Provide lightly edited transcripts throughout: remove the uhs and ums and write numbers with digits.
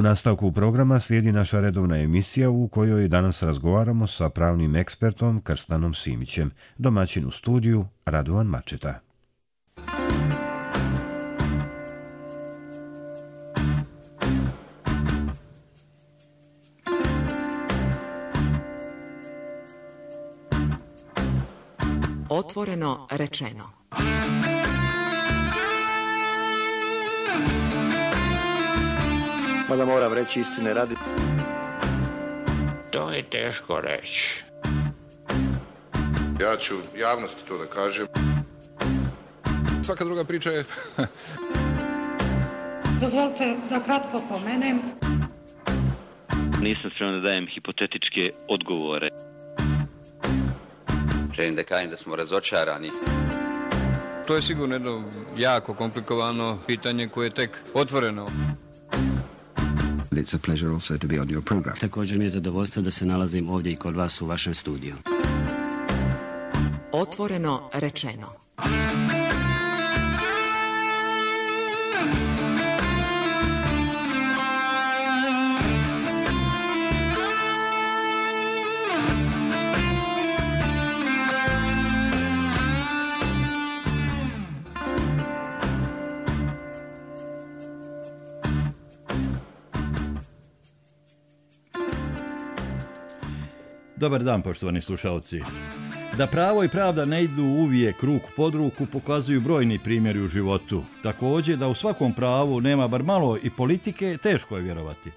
nastavku programa slijedi naša redovna emisija u kojoj danas razgovaramo sa pravnim ekspertom Krstanom Simićem, domaćin u studiju Radovan Mačeta. Otvoreno rečeno. Mada moram reći istine radi. To je teško reći. Ja ću javnosti to da kažem. Svaka druga priča je... Dozvolite da kratko pomenem. Nisam spreman da dajem hipotetičke odgovore. Želim da kažem da smo razočarani. To je sigurno jedno jako komplikovano pitanje koje je tek otvoreno. It's a pleasure also to be on your program. Također mi je zadovoljstvo da se nalazim ovdje i kod vas u vašem studiju. Otvoreno rečeno. Dobar dan, poštovani slušalci. Da pravo i pravda ne idu uvijek ruku pod ruku pokazuju brojni primjeri u životu. Također da u svakom pravu nema bar malo i politike, teško je vjerovati.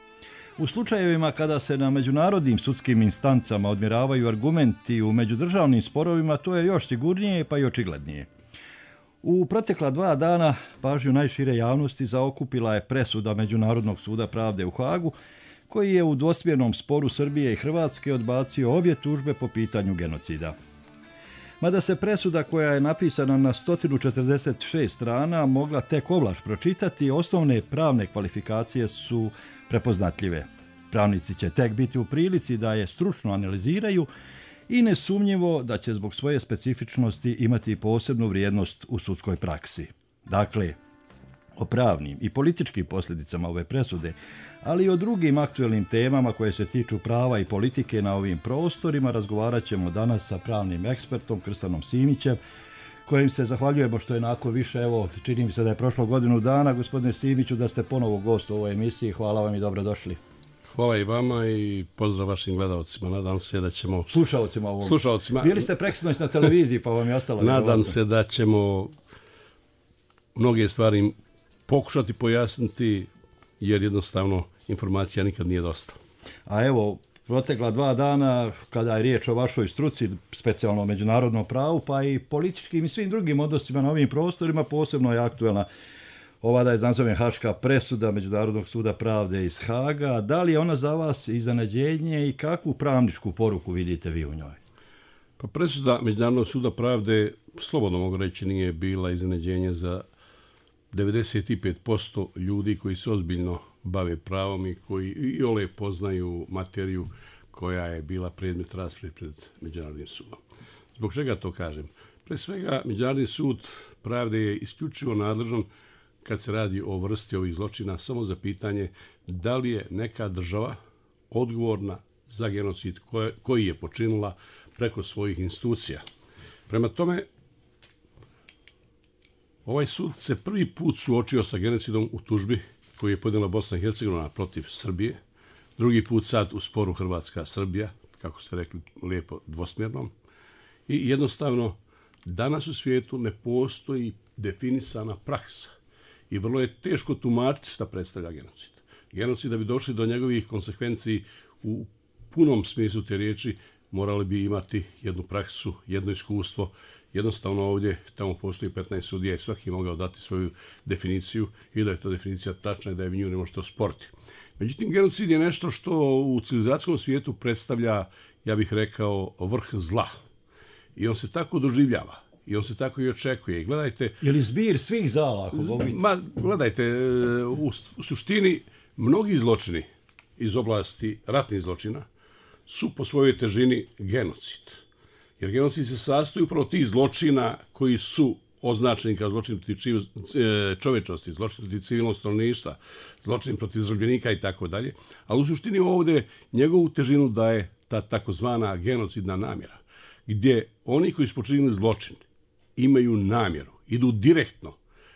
U slučajevima kada se na međunarodnim sudskim instancama odmjeravaju argumenti u međudržavnim sporovima, to je još sigurnije pa i očiglednije. U protekla 2 dana pažnju najšire javnosti zaokupila je presuda Međunarodnog suda pravde u Hagu, koji je u dvosmjernom sporu Srbije i Hrvatske odbacio obje tužbe po pitanju genocida. Mada se presuda koja je napisana na 146 strana mogla tek ovlaš pročitati, osnovne pravne kvalifikacije su prepoznatljive. Pravnici će tek biti u prilici da je stručno analiziraju i nesumnjivo da će zbog svoje specifičnosti imati posebnu vrijednost u sudskoj praksi. Dakle, o pravnim i političkim posljedicama ove presude, ali i o drugim aktuelnim temama koje se tiču prava i politike na ovim prostorima razgovarat ćemo danas sa pravnim ekspertom Krstanom Simićem, kojim se zahvaljujemo što je nakon više, čini mi se da je prošlo godinu dana, gospodine Simiću, da ste ponovo gost u ovoj emisiji. Hvala vam i dobrodošli. Hvala i vama i pozdrav vašim gledalcima. Nadam se da ćemo... Slušalcima. Bili ste preksinoć na televiziji pa vam je ostalo... Nadam se da ćemo mnoge stvari pokušati pojasniti, jer jednostavno informacija nikad nije dosta. A evo, protekla 2 dana, kada je riječ o vašoj struci, specijalno o međunarodnom pravu, pa i političkim i svim drugim odnosima na ovim prostorima, posebno je aktuelna ova, da je nazovem, haška presuda Međunarodnog suda pravde iz Haga. Da li je ona za vas iznenađenje i kakvu pravničku poruku vidite vi u njoj? Pa presuda Međunarodnog suda pravde, slobodno mogu reći, nije bila iznenađenje za 95% ljudi koji se ozbiljno bave pravom i koji iole poznaju materiju koja je bila predmet rasprave pred Međunarodnim sudom. Zbog čega to kažem? Pre svega, Međunarodni sud pravde je isključivo nadležan kad se radi o vrsti ovih zločina samo za pitanje da li je neka država odgovorna za genocid koji je počinila preko svojih institucija. Prema tome, ovaj sud se prvi put suočio sa genocidom u tužbi koju je podnijela Bosna i Hercegovina protiv Srbije, drugi put sad u sporu Hrvatska-Srbija, kako ste rekli lijepo dvosmjernom. I jednostavno, danas u svijetu ne postoji definisana praksa i vrlo je teško tumačiti šta predstavlja genocid. Genocid, da bi došli do njegovih konsekvenciji u punom smislu te riječi, morali bi imati jednu praksu, jedno iskustvo. Jednostavno ovdje, tamo postoji 15 sudija i svaki je mogao dati svoju definiciju i da je ta definicija tačna i da je nju ne možete osporiti. Međutim, genocid je nešto što u civilizacijskom svijetu predstavlja, ja bih rekao, vrh zla. I on se tako doživljava. I on se tako i očekuje. I gledajte... Je li zbir svih zala? Gledajte, u suštini, mnogi zločini iz oblasti ratnih zločina su po svojoj težini genocid. Jer genocid se sastoji upravo tih zločina koji su označeni kao zločin protiv čovečnosti, zločin protiv civilnog stanovništva, zločin protiv zarobljenika i tako dalje. Ali u suštini ovdje njegovu težinu daje ta takozvana genocidna namjera, gdje oni koji su počinili zločin imaju namjeru, idu direktno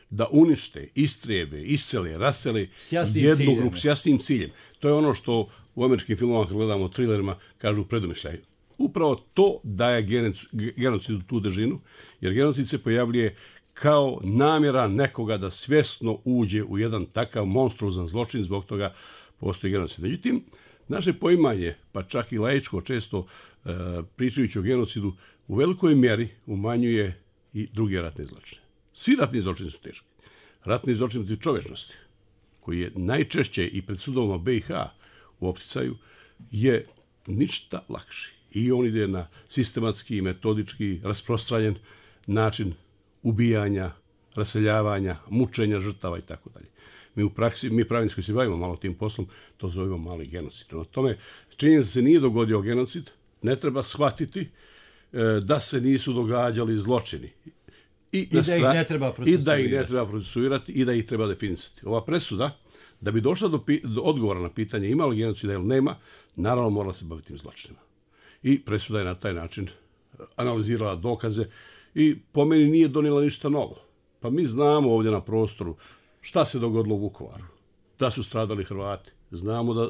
da unište, istrijebe, isele, rasele jednu grupu s jasnim ciljem. To je ono što u američkim filmovima, kad gledamo trilerima, kažu predumišljaj. Upravo to daje genocidu tu težinu, jer genocid se pojavljuje kao namjera nekoga da svjesno uđe u jedan takav monstruozan zločin, zbog toga postoji genocid. Međutim, naše poimanje, pa čak i laičko često pričajući o genocidu, u velikoj mjeri umanjuje i druge ratne zločine. Svi ratni zločini su teški. Ratni zločin protiv čovečnosti, koji je najčešće i pred sudovima BiH u opticaju, je ništa lakši. I on ide na sistematski, metodički, rasprostranjen način ubijanja, raseljavanja, mučenja žrtava i tako dalje. Mi u praksi, mi pravnici koji se bavimo malo tim poslom, to zovemo mali genocid. Prema tome, činjenica se nije dogodio genocid, ne treba shvatiti da se nisu događali zločini. I da ih ne treba procesuirati i da ih treba definisati. Ova presuda, da bi došla do odgovora na pitanje ima li genocida ili nema, naravno morala se baviti tim zločinima. I presuda je na taj način analizirala dokaze i po meni nije donijela ništa novo. Pa mi znamo ovdje na prostoru šta se dogodilo u Vukovaru. Da su stradali Hrvati. Znamo da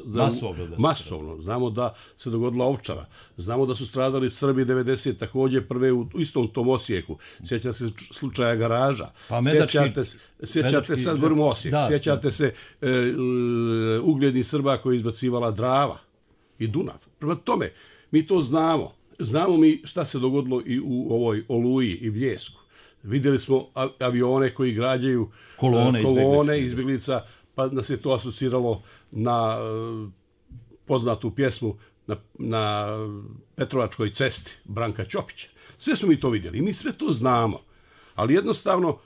masovno. Znamo da se dogodila Ovčara. Znamo da su stradali Srbi 90 također prve u istom tom Osijeku. Sjećate se slučaja Garaža. Pa sjećate sad govorimo Osijek. Sjećate se uglednih Srba koji je izbacivala Drava i Dunav. Prema tome, mi to znamo. Znamo mi šta se dogodilo i u ovoj Oluji i Bljesku. Vidjeli smo avione koji građaju kolone izbjeglica, pa nas je to asociralo na poznatu pjesmu na Petrovačkoj cesti Branka Ćopića. Sve smo mi to vidjeli i mi sve to znamo. Ali jednostavno,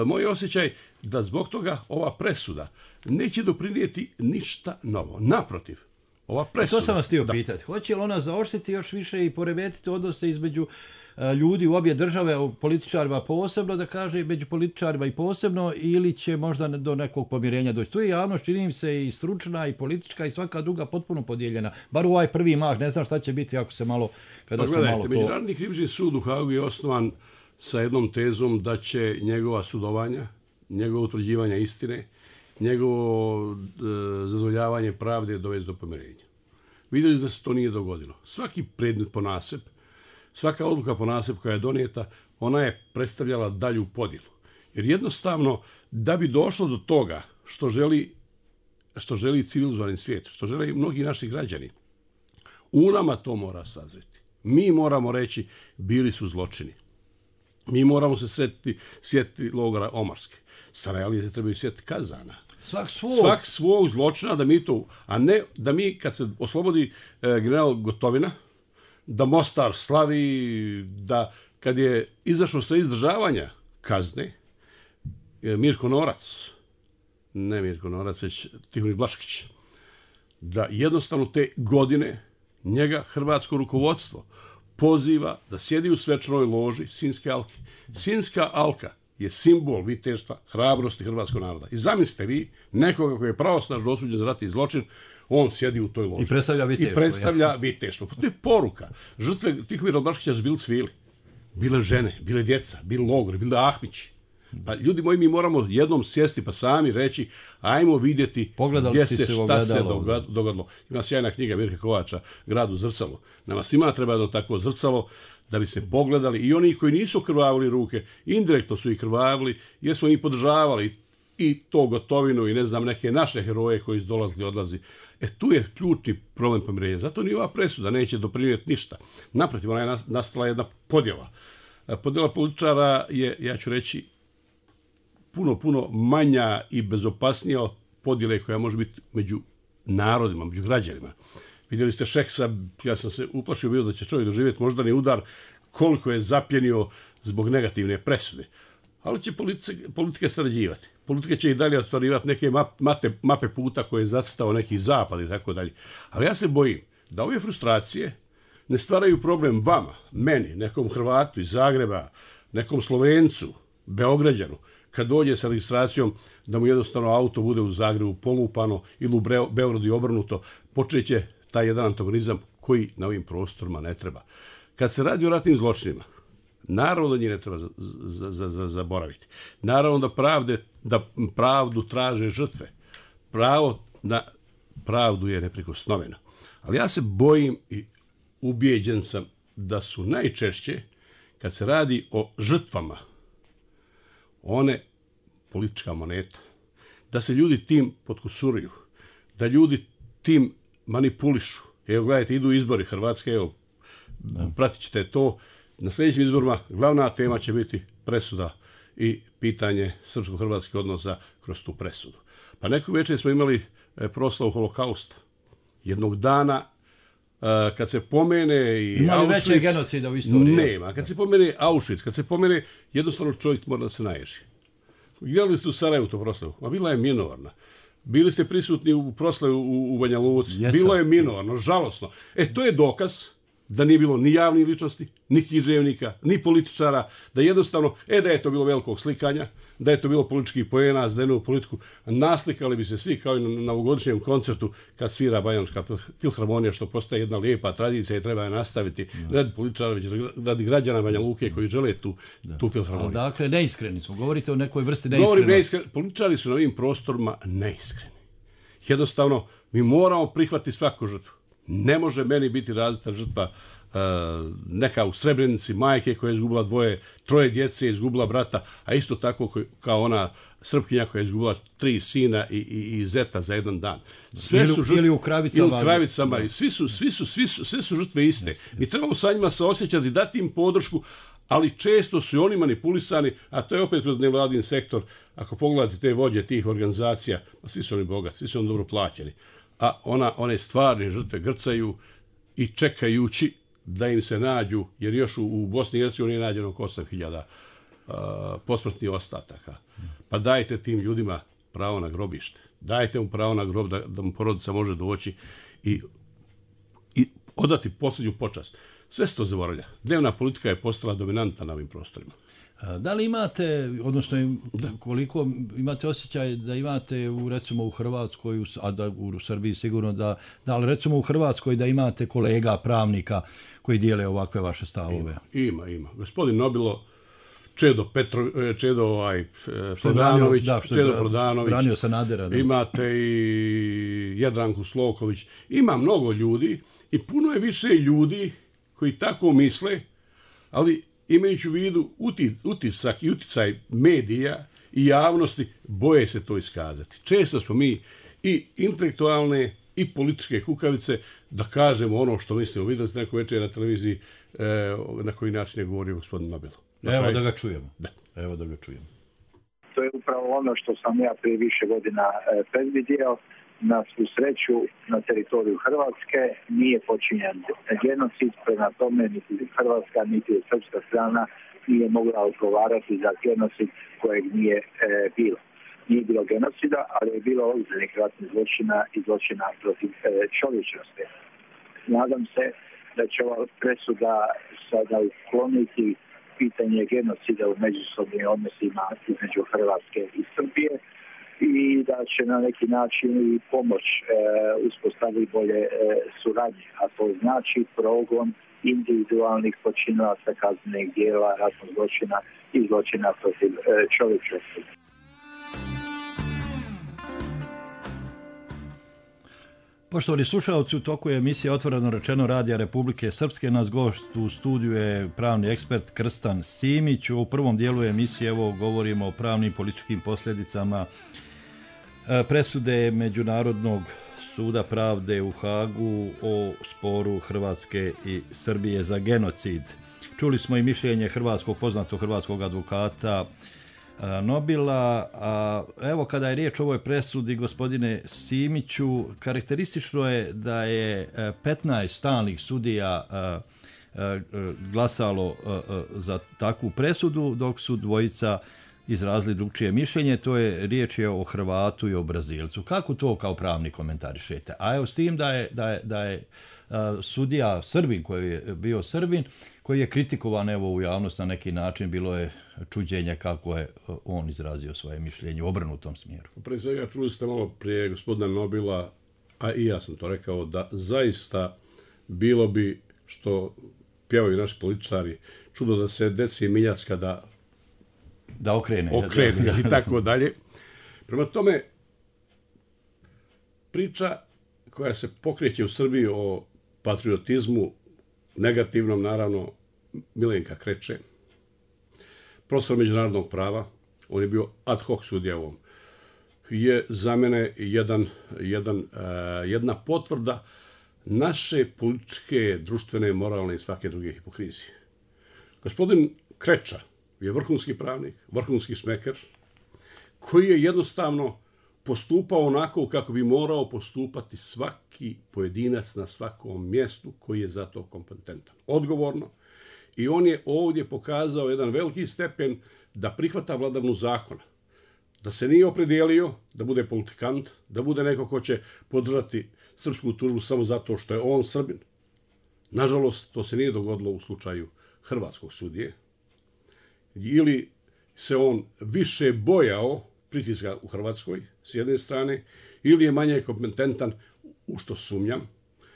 moj osjećaj da zbog toga ova presuda neće doprinijeti ništa novo. Naprotiv, ova presuda... To sam vas htio pitati. Hoće li ona zaoštriti još više i poremetiti odnose između ljudi u obje države, u političarima posebno, da kaže, među političarima i posebno, ili će možda do nekog pomirenja doći? Tu je javnost, čini mi se, i stručna, i politička, i svaka druga potpuno podijeljena. Bar u ovaj prvi mah, ne znam šta će biti ako se malo... Međunarodni krivični sud u Hagu je osnovan sa jednom tezom da će njegova sudovanja, njegovo utvrđivanje istine, njegovo zadovoljavanje pravde dovesti do pomirenja. Vidjeli da se to nije dogodilo. Svaki predmet ponaseb, svaka odluka ponaseb koja je donijeta, ona je predstavljala dalju podjelu. Jer jednostavno, da bi došlo do toga što želi civilizovani svijet, što žele i mnogi naši građani, u nama to mora sazreti. Mi moramo reći, bili su zločini. Mi moramo se sjetiti logora Omarske. Sarajevije se trebaju sjetiti Kazana. Svak svog zločina, da mi to, a ne da mi kad se oslobodi general Gotovina, da Mostar slavi, da kad je izašao sa izdržavanja kazne, Mirko Norac, već Tihomir Blaškić, da jednostavno te godine njega hrvatsko rukovodstvo poziva da sjedi u svečanoj loži Sinjske alke. Sinjska alka je simbol viteštva, hrabrosti hrvatskog naroda. I zamislite vi nekoga koji je pravosnažno osuđen za ratni zločin, on sjedi u toj loži. I predstavlja viteštvo. To je poruka. Žrtve Tihomira Blaškića su bili cvili. Bile žene, bile djeca, bili logori, bili Ahmići. Pa ljudi moji, mi moramo jednom sjesti pa sami reći, ajmo vidjeti gdje se, šta se dogodilo. Ima sjajna knjiga Mirka Kovača, Grad u zrcalu. Nama svima treba jedno takvo zrcalo da bi se pogledali i oni koji nisu krvavili ruke, indirektno su ih krvavili, jer smo ih podržavali i to Gotovinu i ne znam neke naše heroje koji su dolazili, odlazi. Tu je ključni problem pomirenja. Zato ni ova presuda neće doprinijeti ništa. Naprotiv, ona je nastala jedna podjela. Podjela političara je, ja ću reći, puno manja i bezopasnija od podjele koja može biti među narodima, među građanima. Vidjeli ste Šeksa, ja sam se uplašio bio da će čovjek doživjeti moždani udar koliko je zapljenio zbog negativne presude. Ali će politika sarađivati. Politika će i dalje ostvarivati neke mape puta koje je zacrtao neki zapad i tako dalje. Ali ja se bojim da ove frustracije ne stvaraju problem vama, meni, nekom Hrvatu iz Zagreba, nekom Slovencu, Beograđanu, kad dođe sa registracijom da mu jednostavno auto bude u Zagrebu polupano ili u Beogradu i obrnuto, počeće taj jedan antagonizam koji na ovim prostorima ne treba. Kad se radi o ratnim zločinima, naravno da njih ne treba zaboraviti. Naravno da pravdu traže žrtve. Pravo na pravdu je neprikosnoveno. Ali ja se bojim i ubijeđen sam da su najčešće, kad se radi o žrtvama, one politička moneta. Da se ljudi tim potkusuruju. Da ljudi tim manipulišu. Evo, gledajte, idu izbori Hrvatske, evo, pratit ćete to. Na sljedećim izborima glavna tema će biti presuda i pitanje srpsko-hrvatskih odnosa kroz tu presudu. Pa neko večer smo imali proslavu holokausta. Jednog dana, kad se pomene i ima li Auschwitz... veće genocida u istoriji? Nema. Kad se pomene Auschwitz, kad se pomene, jednostavno čovjek mora da se naježi. Gledali ste u Sarajevu to proslavu? Ma bila je minorna. Bili ste prisutni u proslavu u Banja Luci. Bilo je minorno, žalosno. To je dokaz da nije bilo ni javnih ličnosti, ni književnika, ni političara, da jednostavno, da je to bilo velikog slikanja, da je to bilo političkih poena, za jednu politiku, naslikali bi se svi kao i na novogodišnjem koncertu kad svira Banjalučka filharmonija, što postaje jedna lijepa tradicija i treba je nastaviti radi političara, već radi građana Banja Luke koji žele tu filharmoniju. Ali dakle, neiskreni smo, govorite o nekoj vrsti neiskrenosti. Političari su na ovim prostorima neiskreni. Jednostavno, mi moramo prihvatiti svaku žrtvu. Ne može meni biti različita žrtva neka u Srebrenici, majke koja je izgubila 3 djece, izgubila brata, a isto tako kao ona Srpkinja koja je izgubila 3 sina i zeta za jedan dan. Sve su žrtve, ili u Kravicama. I sve su žrtve iste. Mi trebamo sa njima se osjećati, dati im podršku, ali često su oni manipulisani, a to je opet kroz nevladin sektor. Ako pogledate te vođe tih organizacija, svi su oni bogati, svi su oni dobro plaćeni. A one stvarne žrtve grcaju i čekajući da im se nađu, jer još u Bosni i Hercegovini je nađeno oko 8.000 posmrtnih ostataka. Pa dajte tim ljudima pravo na grobište. Dajte mu pravo na grob da mu porodica može doći i odati posljednju počast. Sve se to zaboravlja. Dnevna politika je postala dominantna na ovim prostorima. Da li imate, odnosno koliko imate osjećaj da imate recimo u Hrvatskoj, a da u Srbiji sigurno da li recimo u Hrvatskoj da imate kolega pravnika koji dijele ovakve vaše stavove? Ima. Gospodin Nobilo, Čedo Prodanović, branio Sanadera. Imate i Jadranku Sloković. Ima mnogo ljudi i puno je više ljudi koji tako misle, ali imajući u vidu utisak i uticaj medija i javnosti, boje se to iskazati. Često smo mi i intelektualne i političke kukavice da kažemo ono što mislimo. Vidjeli ste neko večer na televiziji na koji način je govorio gospodin Nobilo. Evo da ga čujemo. To je upravo ono što sam ja prije više godina predvidio. Na svu sreću na teritoriju Hrvatske nije počinjen genocid, prema tome niti Hrvatska niti srpska strana nije mogla odgovarati za genocid kojeg nije bilo. Nije bilo genocida, ali je bilo ozbiljnih ratnih zločina i zločina protiv čovječnosti. Nadam se da će ova presuda sada ukloniti pitanje genocida u međusobnim odnosima između Hrvatske i Srbije i da će na neki način i pomoć uspostaviti bolje suradnje, a to znači progon individualnih počinilaca kaznenih djela, ratnog zločina i zločina protiv čovječnosti. Poštovani slušalci, u toku je emisija Otvoreno rečeno Radija Republike Srpske. Nas gost u studiju je pravni ekspert Krstan Simić. U prvom dijelu emisije evo govorimo o pravnim političkim posljedicama presude Međunarodnog suda pravde u Hagu o sporu Hrvatske i Srbije za genocid. Čuli smo i mišljenje poznatog hrvatskog advokata Nobila. A evo kada je riječ o ovoj presudi, gospodine Simiću, karakteristično je da je 15 stalnih sudija glasalo za takvu presudu, dok su dvojica izrazili drugčije mišljenje, to je riječ je o Hrvatu i o Brazilcu. Kako to kao pravni komentarišete? A evo s tim da je sudija Srbin, koji je bio Srbin, koji je kritikovan evo u javnost na neki način, bilo je čuđenje kako je on izrazio svoje mišljenje u obrnutom smjeru. Pre svega čuli ste malo prije gospodina Nobila, a i ja sam to rekao, da zaista bilo bi, što pjevaju naši političari, čudo da se deci Miljacka da okrene i tako dalje. Prema tome, priča koja se pokreće u Srbiji o patriotizmu, negativnom naravno, Milenka Kreče, profesor međunarodnog prava, on je bio ad hoc sudija u ovom, je za mene jedna potvrda naše političke, društvene, moralne i svake druge hipokrizije. Gospodin Kreča je vrhunski pravnik, vrhunski smeker, koji je jednostavno postupao onako kako bi morao postupati svaki pojedinac na svakom mjestu koji je za to kompetentan. Odgovorno. I on je ovdje pokazao jedan veliki stepen da prihvata vladavnu zakona. Da se nije opredijelio da bude politikant, da bude neko ko će podržati srpsku tužbu samo zato što je on Srbin. Nažalost, to se nije dogodilo u slučaju hrvatskog sudije. Ili se on više bojao pritiska u Hrvatskoj, s jedne strane, ili je manje kompetentan, u što sumnjam.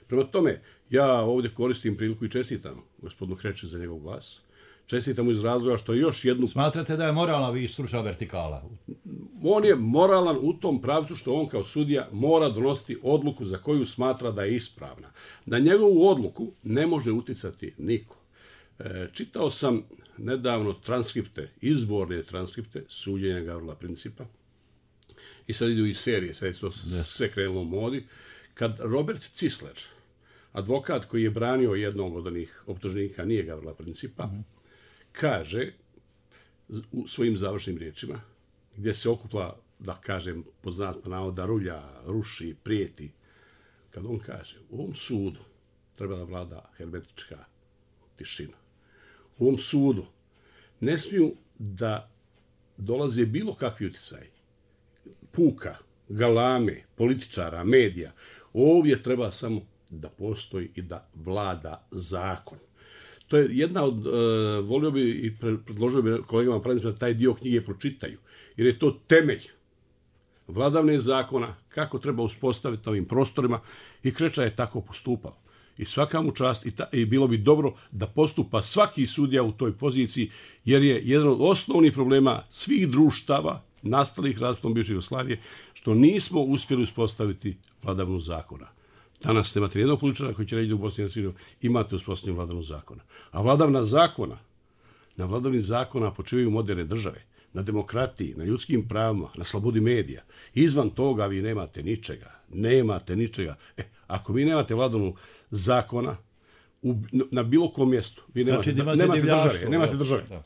Prema tome, ja ovdje koristim priliku i čestitam gospodinu Kreči za njegov glas. Čestitam mu iz razloga što još jednu... Smatrate da je moralna i stručna vertikala? On je moralan u tom pravcu što on kao sudija mora donositi odluku za koju smatra da je ispravna. Na njegovu odluku ne može uticati niko. Čitao sam nedavno transkripte, izvorne transkripte suđenja Gavrila Principa i sad idu i serije, sad je to sve krenulo u modi, kad Robert Cisler, advokat koji je branio jednog od onih optuženika, nije Gavrila Principa, kaže u svojim završnim riječima, gdje se okuplja, da kažem, poznat navoda, rulja, ruši, prijeti, kad on kaže, u ovom sudu treba da vlada hermetička tišina. U ovom sudu ne smiju da dolaze bilo kakvi utjecaj puka, galame, političara, medija. Ovdje treba samo da postoji i da vlada zakon. To je jedna od, volio bi i predložio bi kolegama pravnicima da taj dio knjige pročitaju, jer je to temelj vladavne zakona, kako treba uspostaviti na ovim prostorima i Kreča je tako postupao. I svaka mu čast i bilo bi dobro da postupa svaki sudija u toj poziciji, jer je jedan od osnovnih problema svih društava nastalih različitom bivše Jugoslavije, što nismo uspjeli uspostaviti vladavnu zakona. Danas nemate nijednog političara koji će reći da u Bosni i Hercegovini imate uspostavljenu vladavnu zakona. A vladavna zakona, na vladavni zakona počivaju moderne države, na demokratiji, na ljudskim pravima, na slobodi medija. Izvan toga vi nemate ničega. Nemate ničega. Ako vi nemate vladavnu zakona na bilo kom mjestu, vi nemate države. Da.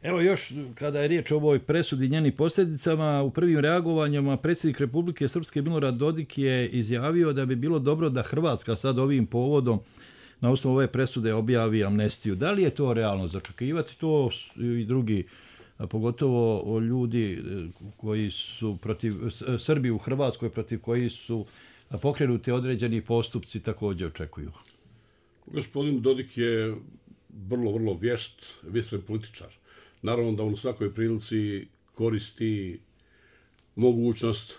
Evo još, kada je riječ o ovoj presudi i njenim posljedicama, u prvim reagovanjama predsjednik Republike Srpske Milorad Dodik je izjavio da bi bilo dobro da Hrvatska sad ovim povodom na osnovu ove presude objavi amnestiju. Da li je to realno začekivati? To i drugi, pogotovo ljudi koji su protiv Srbi u Hrvatskoj, protiv koji su pokrenuti određeni postupci, također očekuju. Gospodin Dodik je vrlo vješt, vistren političar. Naravno da on u svakoj prilici koristi mogućnost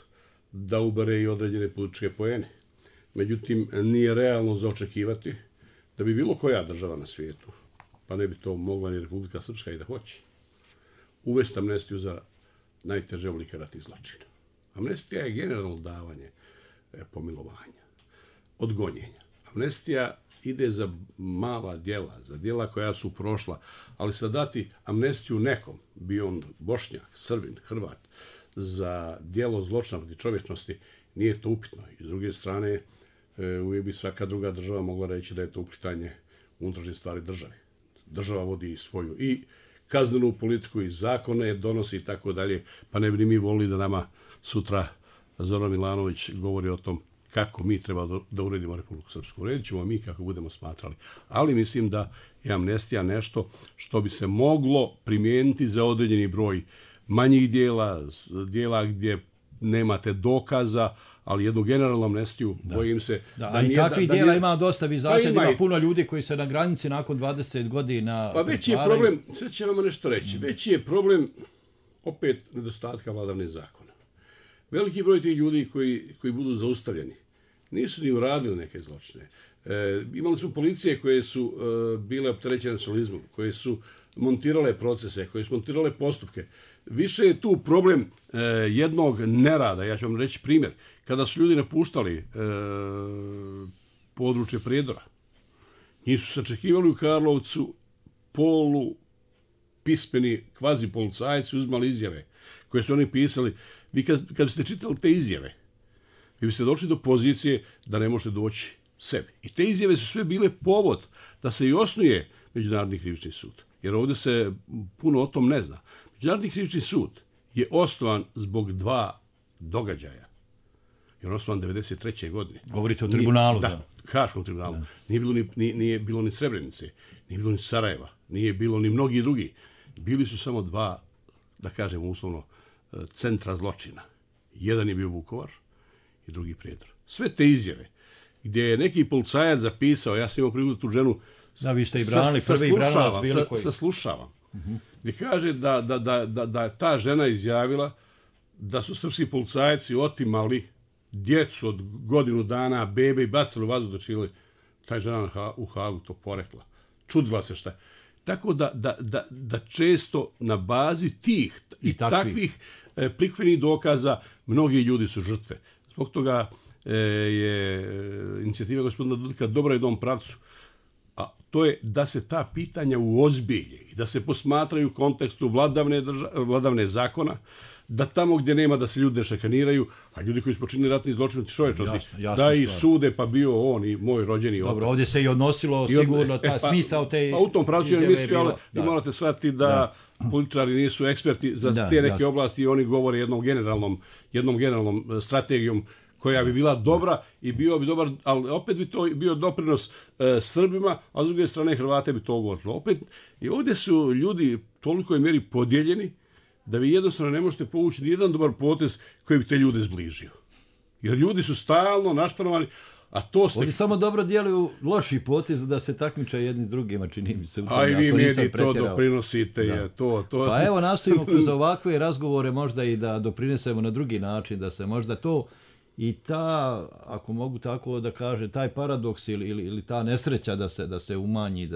da ubere i određene političke poene. Međutim, nije realno za očekivati da bi bilo koja država na svijetu, pa ne bi to mogla ni Republika Srpska i da hoće, uvesti amnestiju za najteže oblike ratnih zločina. Amnestija je generalno davanje pomilovanja, odgonjenja. Amnestija ide za mala djela, za djela koja su prošla, ali sad dati amnestiju nekom, bio on Bošnjak, Srbin, Hrvat, za djelo zločina protiv čovječnosti, nije to upitno. I s druge strane, uvijek bi svaka druga država mogla reći da je to uplitanje unutrašnje stvari države. Država vodi svoju i kaznenu politiku i zakone donosi i tako dalje, pa ne bi ni mi volili da nama sutra Zoran Milanović govori o tom kako mi treba da uredimo Republiku Srpsku. Uredit ćemo mi kako budemo smatrali. Ali mislim da je amnestija nešto što bi se moglo primijeniti za određeni broj manjih dijela gdje nemate dokaza, ali jednu generalnu amnestiju, bojim se... Da i takvih dijela ima dosta, vi znate da ima puno ljudi koji se na granici nakon 20 godina... Pa veći je problem, sad ću vam nešto reći, veći je problem opet nedostatka vladavne zakona. Veliki broj tih ljudi koji budu zaustavljeni nisu ni uradili neke zločine. Imali smo policije koje su bile opterećene nacionalizmom, koje su montirale procese, koje su montirale postupke. Više je tu problem jednog nerada. Ja ću vam reći primjer. Kada su ljudi napuštali područje Prijedora, njih su sačekivali u Karlovcu polupismeni kvazi policajci, uzmali izjave koje su oni pisali. Vi kad biste čitali te izjave, vi biste došli do pozicije da ne možete doći sebi. I te izjave su sve bile povod da se i osnuje Međunarodni krivični sud. Jer ovdje se puno o tom ne zna. Međunarodni krivični sud je osnovan zbog dva događaja. Je on osnovan 1993. godine. Govorite o tribunalu, da. Haškom tribunalu. Da. Nije bilo ni Srebrenice, nije bilo ni Sarajeva, nije bilo ni mnogi drugi. Bili su samo dva, da kažem uslovno, centra zločina. Jedan je bio Vukovar i drugi Prijedor. Sve te izjave gdje je neki policajac zapisao, ja sam imao priliku tu ženu saslušavam. Gdje kaže da ta žena izjavila da su srpski policajci otimali djecu od godinu dana, bebe i bacili u vazduh do Čile. Ta žena u Hagu to porekla. Čudila se šta. Tako da često na bazi tih i takvih prikvenih dokaza mnogi ljudi su žrtve. Zbog toga je inicijativa gospodina Dodika dobra i dom pravcu. A to je da se ta pitanja uozbilje i da se posmatraju u kontekstu vladavne zakona, da tamo gdje nema da se ljudi ne šikaniraju, a ljudi koji su počinili ratni zločin čovječnosti, da ih sude, pa bio on i moj rođeni otac. Dobro, ovdje se i odnosilo sigurno smisao te... Pa u tom pravcu je mislio, ali morate shvatiti da političari nisu eksperti za te neke oblasti i oni govore jednom generalnom strategijom koja bi bila dobra i bio bi dobar, ali opet bi to bio doprinos Srbima, a s druge strane Hrvate bi to govorilo. Opet, i ovdje su ljudi toliko je mjeri podijeljeni da vi jednostavno ne možete povući ni jedan dobar potez koji bi te ljude zbližio. Jer ljudi su stalno našpanovani, a to ste... Ovdje samo dobro djeluju loši potez da se takmiče jedni s drugima, čini mi se. A i vi mediji to doprinosite. Pa evo, nastojimo kroz ovakve razgovore možda i da doprinesemo na drugi način, da se možda to i ta, ako mogu tako da kaže, taj paradoks ili ta nesreća da se umanji,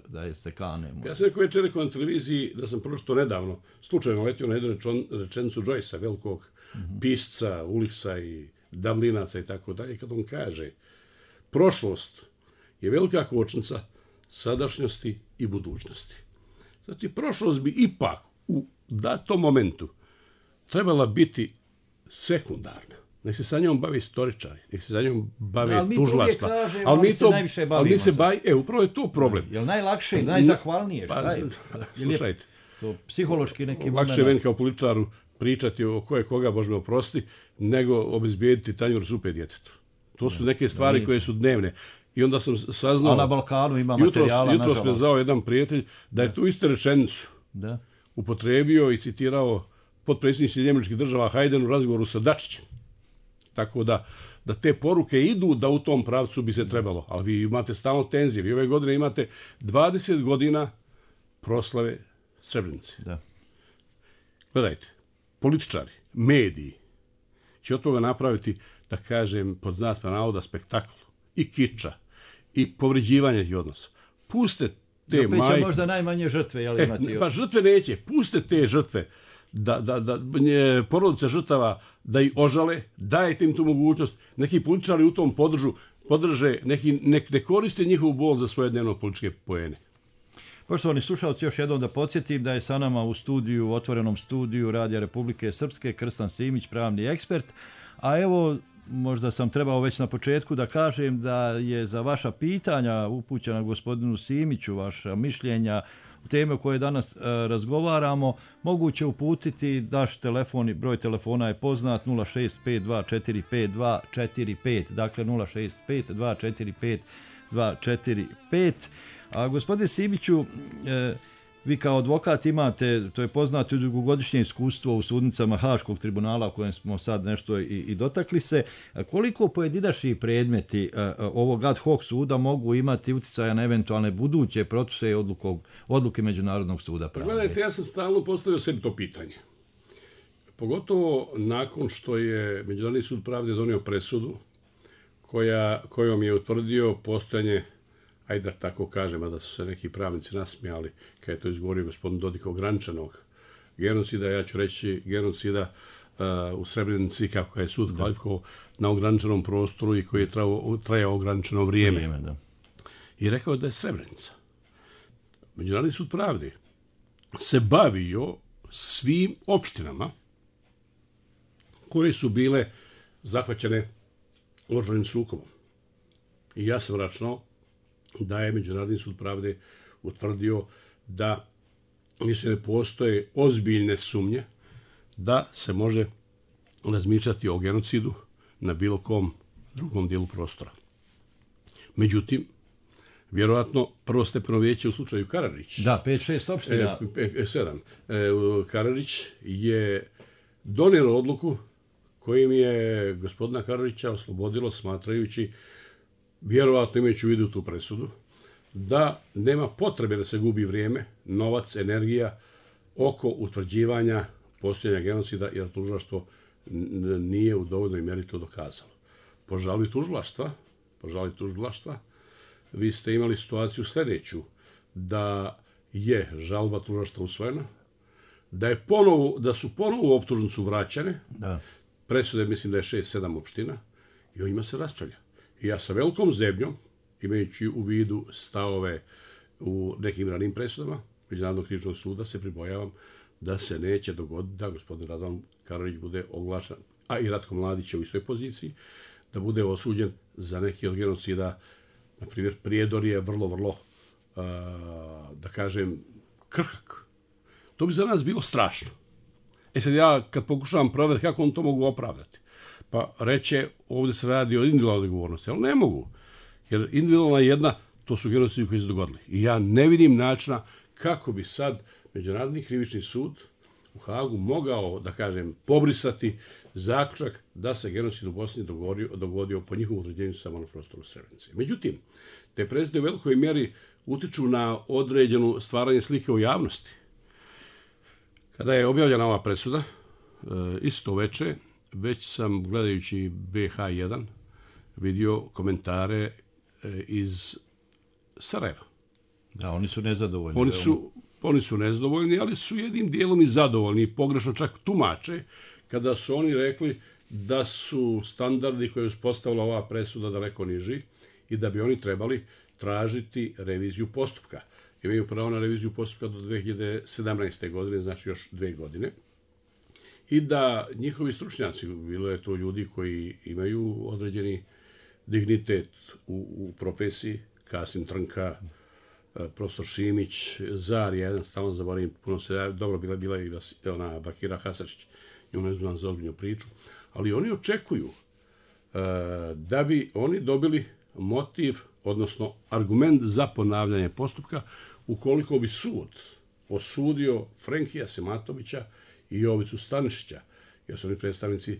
da je se kane. Ja sam rekao večer na televiziji da sam pročito nedavno slučajno letio na jednu rečenicu Joycea, velikog pisca, Uliksa i Davlinaca i tako dalje, kad on kaže prošlost je velika kočnica sadašnjosti i budućnosti. Znači, prošlost bi ipak u datom momentu trebala biti sekundarna. Nek se sa njom bave istoričari, nek se sa njom bave tužilaštva. Ali mi se najviše bavimo. Upravo je to problem. Je li najlakše, najzahvalnije? Slušajte. Psihološki neki moment. Lakše je meni kao političaru pričati o koga Bože me oprosti, nego obezbijediti tanjur supe djetetu. To su neke stvari koje su dnevne. I onda sam saznao... A na Balkanu ima materijala, nažalost. Jutros me zvao jedan prijatelj da je tu istu rečenicu upotrebio i citirao potpredsjednik Sjedinjenih Država Hayden u razgovoru sa Dačićem. Tako da te poruke idu da u tom pravcu bi se trebalo. Ali vi imate stalno tenzije. Vi ove godine imate 20 godina proslave Srebrenice. Da. Gledajte, političari, mediji će od toga napraviti, da kažem, pod znacima navoda, spektakl i kiča i povređivanje tih odnosa. Puste te majke... će možda najmanje žrtve, jel imati... Pa žrtve neće. Puste te žrtve da porodice žrtava da ih ožale, dajte im tu mogućnost. Neki političari u tom podrže, ne koriste njihovu bol za svoje dnevno političke poene. Poštovani slušalci, još jednom da podsjetim da je sa nama u studiju, otvorenom studiju Radija Republike Srpske, Krstan Simić, pravni ekspert. A evo, možda sam trebao već na početku da kažem da je za vaša pitanja upućena gospodinu Simiću, vaša mišljenja teme o kojoj danas razgovaramo, moguće uputiti naš telefon, broj telefona je poznat 065245245, dakle 065245245. A gospodine Simiću, vi kao advokat imate, to je poznato, dugogodišnje iskustvo u sudnicama Haškog tribunala o kojem smo sad nešto i dotakli se. Koliko pojedinačni predmeti ovog ad hoc suda mogu imati utjecaja na eventualne buduće procese i odluke Međunarodnog suda pravde? Gledajte, ja sam stalno postavio sebi to pitanje. Pogotovo nakon što je Međunarodni sud pravde donio presudu kojom je utvrdio postojanje, ajde da tako kažem, a da su se neki pravnici nasmijali kada je to izgovorio gospodin Dodik, ograničenog genocida, ja ću reći genocida u Srebrenici, kako je sud kvalifikovao, na ograničenom prostoru i koji je trajao ograničeno vrijeme. Da. I rekao da je Srebrenica. Međunarodni sud pravde se bavio svim opštinama koje su bile zahvaćene oružanim sukobom. I ja sam računao da je Međunarodni sud pravde utvrdio da više ne postoje ozbiljne sumnje da se može razmišljati o genocidu na bilo kom drugom dijelu prostora. Međutim, vjerojatno prvostepeno vijeće u slučaju Karadžić. Da, 5-6 opština. 7. Karadžić je donijelo odluku kojim je gospodina Karadžića oslobodilo, smatrajući, vjerovatno imajući u vidu tu presudu, da nema potrebe da se gubi vrijeme, novac, energija oko utvrđivanja postojanja genocida, jer tužilaštvo nije u dovoljnoj mjeri to dokazalo. Po žalbi tužilaštva, vi ste imali situaciju sljedeću, da je žalba tužilaštva usvojena, da su ponovo u optužnicu vraćane, presude mislim da je 6-7 opština, i o njima se raspravlja. I ja sa velikom zebnjom, imajući u vidu stavove u nekim ranim presudama Međunarodnog krivičnog suda, se pribojavam da se neće dogoditi da gospodin Radovan Karadžić bude oglašen, a i Ratko Mladić je u istoj poziciji, da bude osuđen za neki od genocida. Na primjer, Prijedor je vrlo, da kažem, krhak. To bi za nas bilo strašno. Sad ja, kad pokušavam provjeriti kako on to mogu opravdati, pa reće, ovdje se radi o individualnoj odgovornosti, ali ne mogu. Jer individualna jedna, to su genocidi koji se dogodili. I ja ne vidim načina kako bi sad Međunarodni krivični sud u Hagu mogao, da kažem, pobrisati zaključak da se genocid u Bosni dogodio po njihovom određenju samo na prostoru Srebrenice. Međutim, te presude u velikoj mjeri utiču na određenu stvaranje slike u javnosti. Kada je objavljena ova presuda, isto veče, već sam, gledajući BH1, vidio komentare iz Sarajeva. Da, oni su nezadovoljni. Oni su nezadovoljni, ali su jednim dijelom i zadovoljni, i pogrešno čak tumače, kada su oni rekli da su standardi koje je uspostavila ova presuda daleko niži i da bi oni trebali tražiti reviziju postupka. Imaju pravo na reviziju postupka do 2017. godine, znači još 2 godine. I da njihovi stručnjaci, bilo je to ljudi koji imaju određeni dignitet u profesiji, Kasim Trnka, profesor Šimić, Zar, jedan stalno zaboravim, puno se dobro bila i ona Bakira Hasačić, nju ne znam za ozbiljnu priču, ali oni očekuju da bi oni dobili motiv, odnosno argument za ponavljanje postupka, ukoliko bi sud osudio Frenkija Sematovića i Jovicu Stanišića, jer su oni predstavnici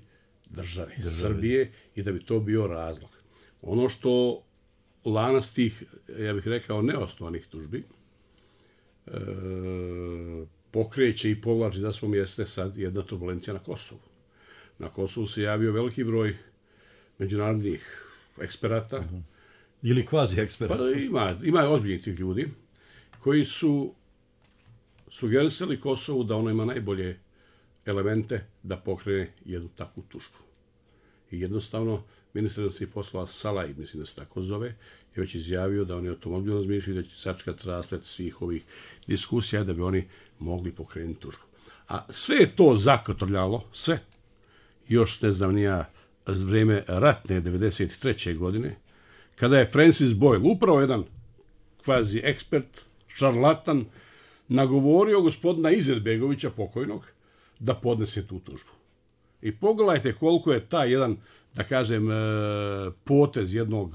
države Srbije, i da bi to bio razlog. Ono što lanac tih, ja bih rekao, neosnovanih tužbi pokreće i povlači za svom jeste sad jedna turbulencija na Kosovu. Na Kosovu se javio veliki broj međunarodnih eksperata. Ili kvazi eksperata. Pa ima ozbiljnih tih ljudi koji su sugerisali Kosovu da ono ima najbolje elemente da pokrene jednu takvu tužbu. I jednostavno, ministar inostranih poslova Salaj, mislim da se tako zove, je već izjavio da oni o tom ozbiljno razmišljaju, da će sačekati rasplet svih ovih diskusija da bi oni mogli pokrenuti tužbu. A sve je to zakotrljalo, sve, još ne znam nija vrijeme ratne 93. godine, kada je Francis Boyle, upravo jedan kvazi ekspert, šarlatan, nagovorio gospodina Izetbegovića, pokojnog, da podnese tu tužbu. I pogledajte koliko je taj jedan, da kažem, potez jednog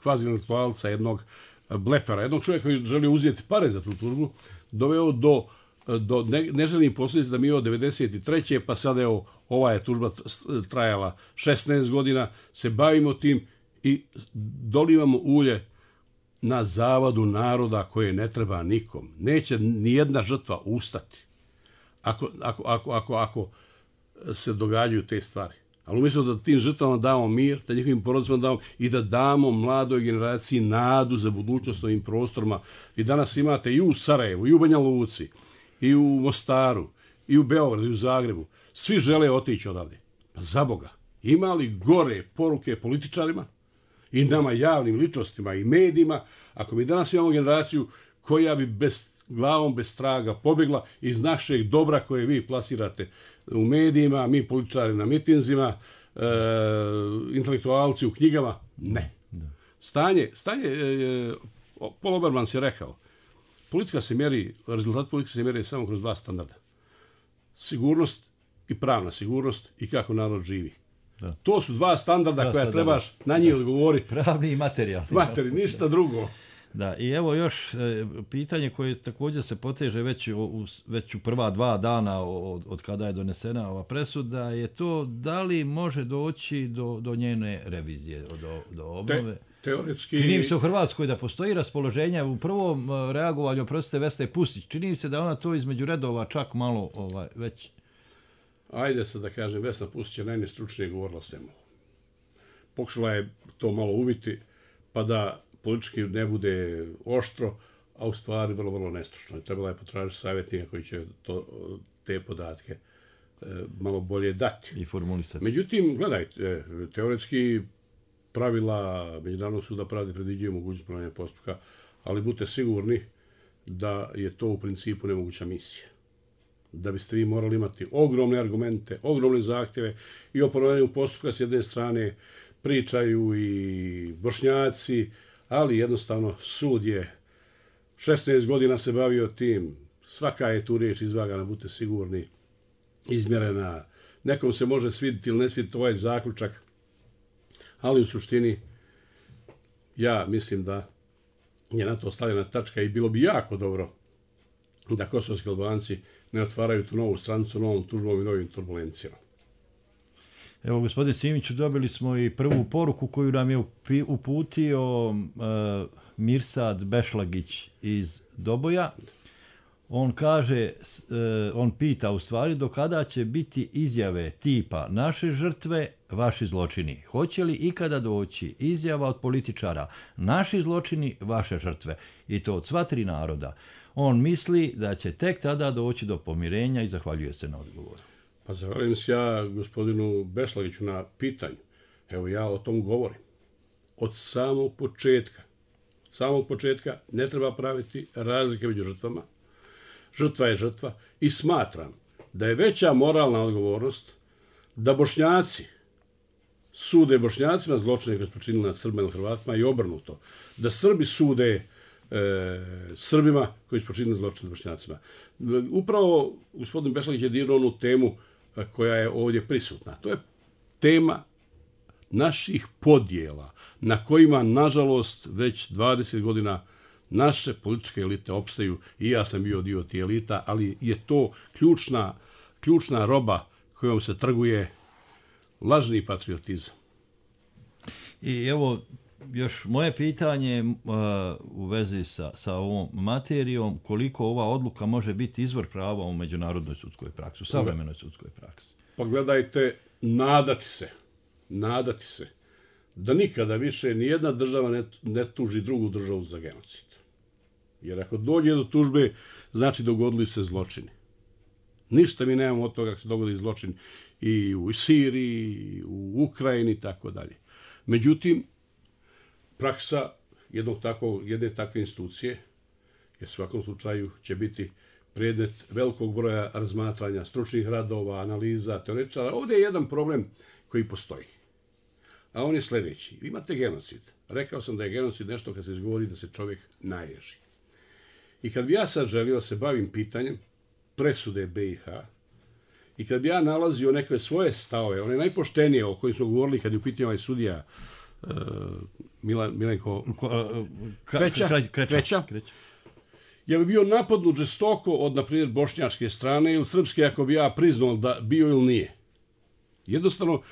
kvazi-intelektualca, jednog blefera, jednog čovjeka koji želi uzeti pare za tu tužbu, doveo do neželjenih posljedica da mi od 93. pa sada evo, ova je tužba trajala 16 godina, se bavimo tim i dolivamo ulje na zavadu naroda koje ne treba nikom. Neće nijedna žrtva ustati ako se događaju te stvari. Ali umjesto da tim žrtvama damo mir, da njihovim porodicama damo i da damo mladoj generaciji nadu za budućnost ovim prostorima. I danas imate i u Sarajevu, i u Banja Luci, i u Mostaru, i u Beogradu, i u Zagrebu. Svi žele otići odavde. Pa za Boga, ima li gore poruke političarima i nama javnim ličnostima i medijima, ako mi danas imamo generaciju koja bi glavom bez traga pobjegla iz našeg dobra koje vi plasirate u medijima, mi političari na mitinzima, intelektualci u knjigama, ne. Stanje, Paul Obermans je rekao, rezultat politike se mjeri samo kroz dva standarda. Sigurnost i pravna sigurnost i kako narod živi. Da. To su dva standarda koja trebaš na njih odgovoriti. Pravni i materijalni. Ništa drugo. Da, i evo još pitanje koje također se poteže već u prva 2 dana od kada je donesena ova presuda, je to da li može doći do njene revizije, do obnove. Teoretski... Čini mi se u Hrvatskoj da postoji raspoloženje u prvom reagovanju, oprostite, Vesne Pustić. Čini mi se da ona to između redova čak malo već... Ajde se da kažem, Vesna Pustić je najnestručnije govorila o svemu. Pokušala je to malo uviti, pa da politički ne bude oštro, a u stvari vrlo, vrlo nestručno. Trebala je potražiti savjetnika koji će te podatke malo bolje dati. I formulisati. Međutim, gledajte, teoretski pravila Međunarodnog suda pravde predviđaju mogućnost ponavljanja postupka, ali budite sigurni da je to u principu nemoguća misija. Da biste vi morali imati ogromne argumente, ogromne zahtjeve i o ponavljanju postupka s jedne strane pričaju i Bošnjaci, ali jednostavno sud je 16 godina se bavio tim, svaka je tu riječ izvagana, budite sigurni, izmjerena. Nekom se može svidjeti ili ne svidjeti ovaj zaključak, ali u suštini ja mislim da je na to stavljena tačka i bilo bi jako dobro da kosovski Albanci ne otvaraju tu novu stranicu novom tužbom i novim turbulencijama. Evo, gospodin Simiću, dobili smo i prvu poruku koju nam je uputio Mirsad Bešlagić iz Doboja. On kaže, on pita u stvari do kada će biti izjave tipa naše žrtve, vaši zločini. Hoće li ikada doći izjava od političara naši zločini, vaše žrtve? I to od sva 3 naroda. On misli da će tek tada doći do pomirenja i zahvaljuje se na odgovoru. Pa zahvaljujem se ja gospodinu Bešlagiću na pitanju. Evo ja o tom govorim. Od samog početka ne treba praviti razlike među žrtvama. Žrtva je žrtva i smatram da je veća moralna odgovornost da Bošnjaci sude Bošnjacima zločine koje su počinili nad Srbima ili Hrvatima i obrnuto. Da Srbi sude Srbima koji su počinili zločine nad Bošnjacima. Upravo gospodin Bešlagić je dirnuo onu temu koja je ovdje prisutna. To je tema naših podjela na kojima, nažalost, već 20 godina naše političke elite opstaju i ja sam bio dio tih elita, ali je to ključna roba kojom se trguje lažni patriotizam. I evo, još moje pitanje u vezi sa ovom materijom, koliko ova odluka može biti izvor prava u međunarodnoj sudskoj praksi, u savremenoj sudskoj praksi? Pa gledajte, nadati se da nikada više nijedna država ne tuži drugu državu za genocid. Jer ako dođe do tužbe, znači dogodili se zločini. Ništa mi nemamo od toga kako se dogodi zločin i u Siriji, i u Ukrajini i tako dalje. Međutim, praksa jedne takve institucije, jer u svakom slučaju će biti predmet velikog broja razmatranja, stručnih radova, analiza, teoretičara. Ovdje je jedan problem koji postoji. A on je sljedeći. Imate genocid. Rekao sam da je genocid nešto kad se izgovori da se čovjek naježi. I kad bi ja sad želio se bavim pitanjem presude BiH, i kad bi ja nalazio neke svoje stavove, one najpoštenije o kojim smo govorili kad je u pitanju ovaj sudija Milenko Kreća, ja bi bio napadnut žestoko od, na primjer, bošnjačke strane ili srpske, ako bi ja priznao da bio ili nije. Jednostavno,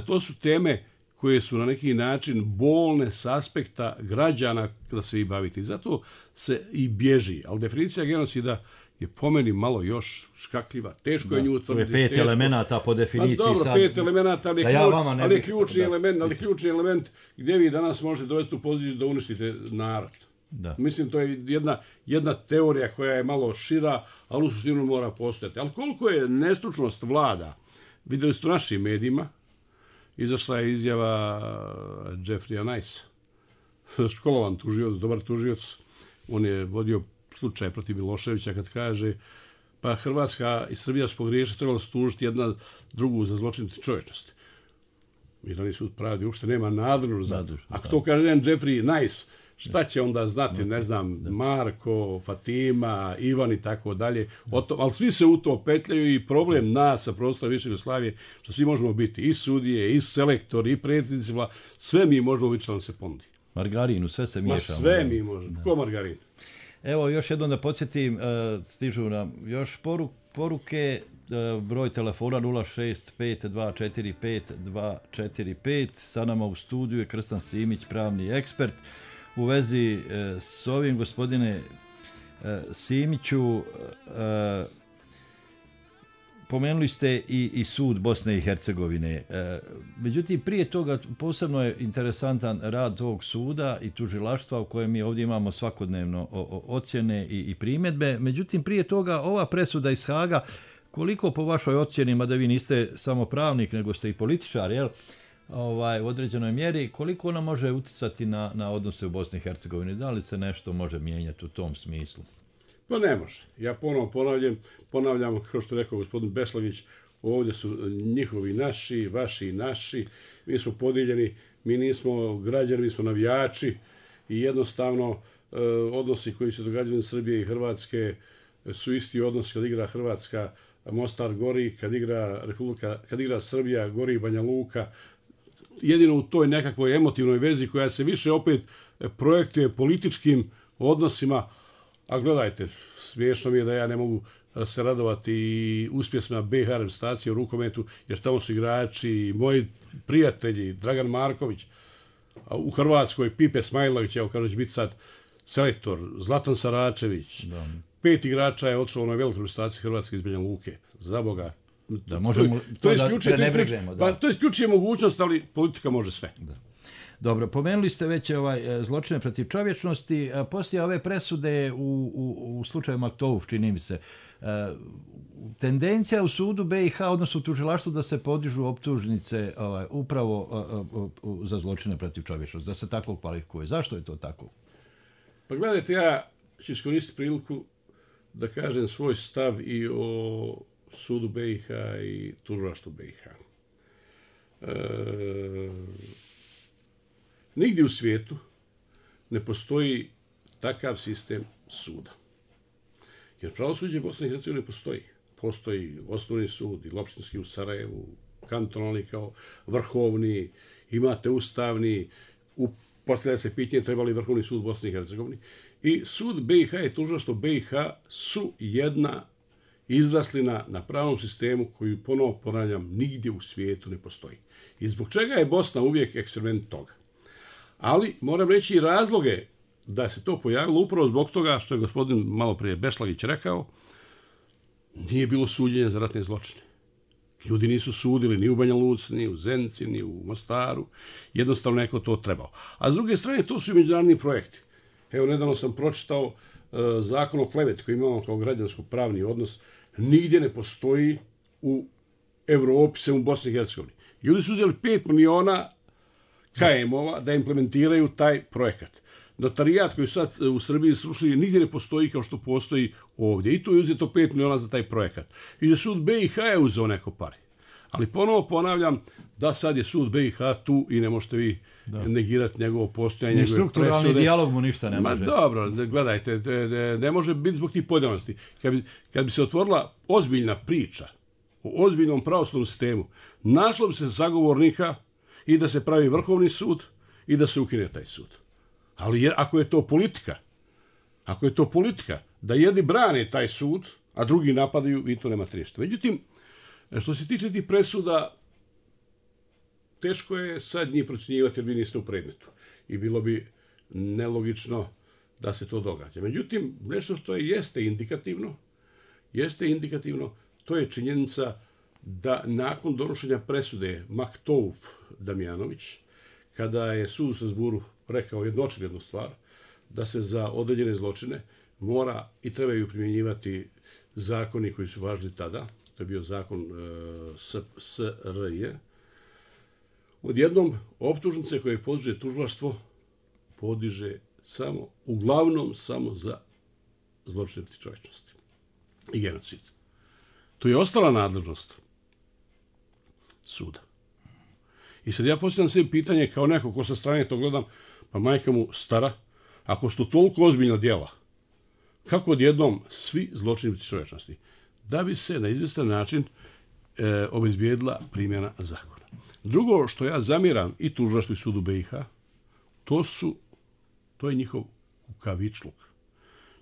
to su teme koje su na neki način bolne s aspekta građana da se vi bavite. I zato se i bježi. Ali definicija genocida je po meni malo još škakljiva. Teško je nju utvrditi. To je 5 elemenata po definiciji. Dobro, 5 elemenata, ali ključni element gdje vi danas možete dovesti u poziciju da uništite narod. Da. Mislim, to je jedna teorija koja je malo šira, ali u suštinu mora postojati. Ali koliko je nestručnost vlada, vidjeli ste u našim medijima, izašla je izjava Jeffreya Nice, školovan tužioc, dobar tužioc, on je vodio slučaj protiv Miloševića kad kaže pa Hrvatska i Srbija su pogriješili, trebalo se tužiti jedna drugu za zločin čovječnosti. Mirani sud pravdi uopšte nema nadležnost za to. Ako to kaže jedan Jeffrey Nice, šta će onda znati, ne znam, Marko, Fatima, Ivan i tako dalje. Ali svi se u to petljaju i problem nas sa prostora više Jugoslavije, što svi možemo biti i sudije, i selektori, i predsjednici vlade, sve mi možemo biti što nam se ponudi. Margarinu, sve se miješamo. Sve mi možemo. Ko margarin? Evo, još jednom da podsjetim, stižu nam još poruke, broj telefona 065245245, sa nama u studiju je Krstan Simić, pravni ekspert. U vezi s ovim, gospodine Simiću, pomenuli ste i sud Bosne i Hercegovine. Međutim, prije toga posebno je interesantan rad tog suda i tužilaštva u kojem mi ovdje imamo svakodnevno ocjene i primjedbe. Međutim, prije toga ova presuda iz Haga, koliko po vašoj ocjeni, mada vi niste samo pravnik, nego ste i političar, jel? U određenoj mjeri, koliko ona može utjecati na odnose u Bosni i Hercegovini? Da li se nešto može mijenjati u tom smislu? Pa ne može. Ja ponovo ponavljam, kao što je rekao gospodin Bešlagić, ovdje su njihovi naši, vaši naši, mi smo podijeljeni, mi nismo građani, mi smo navijači i jednostavno odnosi koji se događaju u Srbije i Hrvatske su isti odnosi kad igra Hrvatska, Mostar gori, kad igra Srbija, gori Banja Luka. Jedino u toj nekakvoj emotivnoj vezi koja se više opet projektuje političkim odnosima. A gledajte, smiješno mi je da ja ne mogu se radovati i uspjesima BiH reprezentacije u rukometu, jer tamo su igrači i moji prijatelji, Dragan Marković, a u Hrvatskoj Pipe Smajlović, evo kaže će biti sad selektor, Zlatan Saračević, 5 igrača je otišlo na velikoj reprezentaciji Hrvatske iz Banja Luke, za Boga. Da možemo to da prenebrežemo. To isključuje mogućnost, ali politika može sve. Da. Dobro, pomenuli ste već zločine protiv čovječnosti. Poslije ove presude u slučaju Maktouf, čini mi se, tendencija u sudu BiH, odnosno u tužilaštvu, da se podižu optužnice upravo za zločine protiv čovječnosti, da se tako kvalifikuje. Zašto je to tako? Pa gledajte, ja ću iskoristiti priliku da kažem svoj stav i o sudu BiH i tužilaštvu BiH. Nigdje u svijetu ne postoji takav sistem suda. Jer pravosuđe Bosne i Hercegovine postoji. Postoji osnovni sud i opštinski u Sarajevu, kantonalni kao vrhovni, imate ustavni, postavlja se pitanje treba li vrhovni sud Bosne i Hercegovine. I sud BiH i tužilaštvo BiH su jedna izraslina na pravom sistemu koju, ponovo ponavljam, nigdje u svijetu ne postoji. I zbog čega je Bosna uvijek eksperiment toga? Ali moram reći i razloge da se to pojavilo upravo zbog toga što je gospodin malo prije Bešlagić rekao, nije bilo suđenja za ratne zločine. Ljudi nisu sudili ni u Banja Luci, ni u Zenici, ni u Mostaru. Jednostavno neko to trebao. A s druge strane, to su i međunarodni projekti. Evo, nedavno sam pročitao zakon o kleveti koji imamo kao građansko-pravni odnos. Nigdje ne postoji u Evropi, sem u Bosni i Hercegovini. Ljudi su uzeli 5 miliona KM-ova da implementiraju taj projekat. Notarijat koji sad u Srbiji srušili nigdje ne postoji kao što postoji ovdje. I tu je uzeto 5 miliona za taj projekat. I da sud BiH je uzeo neko pare. Ali ponovo ponavljam da sad je sud BiH tu i ne možete vi negirati njegovo postojanje. Ni strukturalni dijalog mu ništa ne može. Dobro, gledajte, ne može biti zbog tih pojedinosti. Kad bi se otvorila ozbiljna priča o ozbiljnom pravosudnom sistemu, našlo bi se zagovornika i da se pravi vrhovni sud i da se ukine taj sud. Ali ako je to politika, da jedni brane taj sud, a drugi napadaju, vi to nemate ništa. Međutim, što se tiče tih presuda, teško je sad njih procjenjivati jer vi niste u predmetu. I bilo bi nelogično da se to događa. Međutim, nešto što jeste indikativno, to je činjenica da nakon donošenja presude Maktouf Damjanović, kada je sud u Strasburu rekao jednu stvar, da se za određene zločine mora i trebaju primjenjivati zakoni koji su važni tada, to je bio zakon SRJ, odjednom optužnice koje podiže tužilaštvo podiže uglavnom samo za zločine protiv čovječnosti i genocid. To je ostala nadležnost suda. I sad ja postavljam sebi pitanje kao neko ko sa strane to gledam, pa majka mu stara, ako su to toliko ozbiljna djela, kako odjednom svi zločini protiv čovječnosti? Da bi se na izvjestan način obezbijedila primjena zakona. Drugo što ja zamjeram i tužilaštvu i sudu BiH, to je njihov kukavičluk.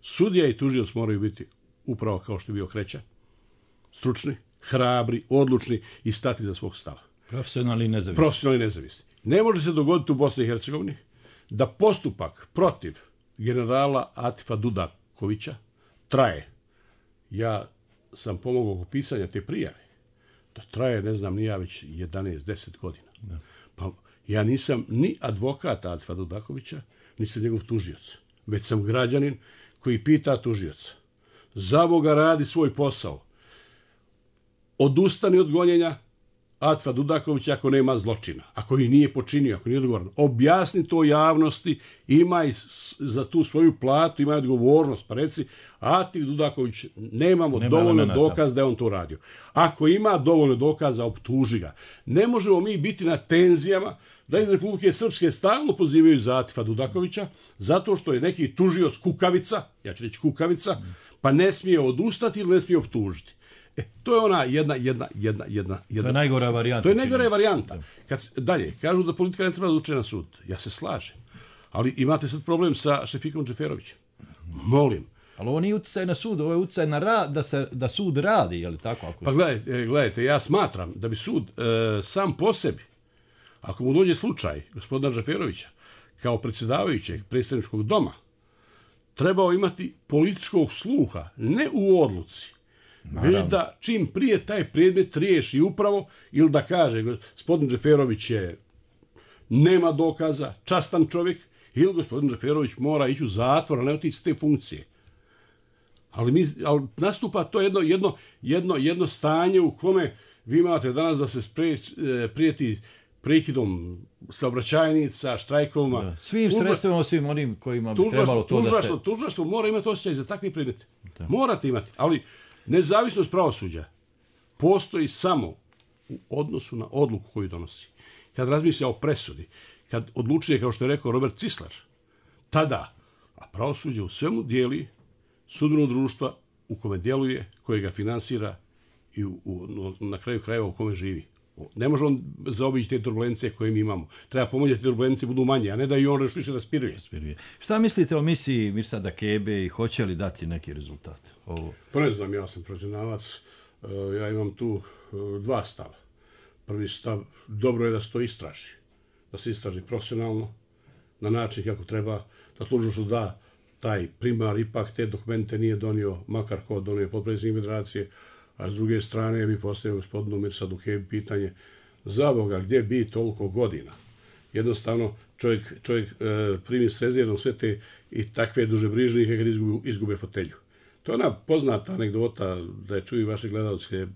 Sudija i tužilac moraju biti upravo kao što je bio Kreća, stručni, hrabri, odlučni i stati za svog stava. Profesionalni i nezavisni. Ne može se dogoditi u Bosni i Hercegovini da postupak protiv generala Atifa Dudakovića traje. Ja sam pomogao oko pisanja te prijave. Da traje, ne znam, nije već 11-10 godina. Da. Pa ja nisam ni advokat Atifa Dudakovića, ni sam njegov tužioc. Već sam građanin koji pita tužioca. Za Boga radi svoj posao. Odustani od gonjenja Atifa Dudakovića ako nema zločina, ako ih nije počinio, ako nije odgovoran. Objasni to javnosti, ima i za tu svoju platu, ima odgovornost. Pa reci, Atif Dudaković, nemamo dovoljno dokaza da je on to radio. Ako ima dovoljno dokaza, optuži ga. Ne možemo mi biti na tenzijama da iz Republike Srpske stalno pozivaju za Atifa Dudakovića, zato što je neki tužioc kukavica, ja ću reći kukavica, pa ne smije odustati ili ne smije optužiti. To je ona jedna. To je najgora varijanta. To je najgora varijanta. Dalje, kažu da politika ne treba da uče na sud. Ja se slažem. Ali imate sad problem sa Šefikom Džeferovićem. Molim. Ali ovo nije utjecaj na sud, ovo je utjecaj na rad, da sud radi, je li tako? Pa gledajte, ja smatram da bi sud sam po sebi, ako mu dođe slučaj gospodina Džeferovića, kao predsjedavajućeg predstavničkog doma, trebao imati političkog sluha, ne u odluci, već da čim prije taj predmet riješi upravo ili da kaže gospodin Džeferović nema dokaza, častan čovjek, ili gospodin Džeferović mora ići u zatvor, a ne otići s te funkcije. Ali nastupa to jedno stanje u kome vi imate danas da se prijeti prekidom saobraćajnica, štrajkovima. Svim sredstvima, osim onim kojima bi trebalo to da se... Tužilaštvo mora imati osjećaj za takve predmete. Morate imati, ali nezavisnost pravosuđa postoji samo u odnosu na odluku koju donosi. Kad razmišlja o presudi, kad odlučuje, kao što je rekao Robert Cislar, tada, a pravosuđe u svemu dijeli sudbeno društva u kome djeluje, koje ga finansira i na kraju krajeva u kome živi. Ne može on zaobići te turbulencije koje mi imamo. Treba pomoći da te turbulencije budu manje, a ne da i on više da spiruje. Šta mislite o misiji Mirsada Kebe i hoće li dati neki rezultat? Pa ne znam, ja sam profesionalac. Ja imam tu dva stava. Prvi stav, dobro je da se to istraži. Da se istraži profesionalno, na način kako treba, da tužilaštvo da taj primar ipak te dokumente nije donio, makar ko donio potpredsjednik federacije, a s druge strane bi postavio gospodinu Mirsadu Kebi pitanje, za Boga, gdje bi toliko godina? Jednostavno, čovjek primi s rezervom sve te i takve dužebrižnike kad izgube fotelju. To je ona poznata anegdota da je čuju vaše gledalce,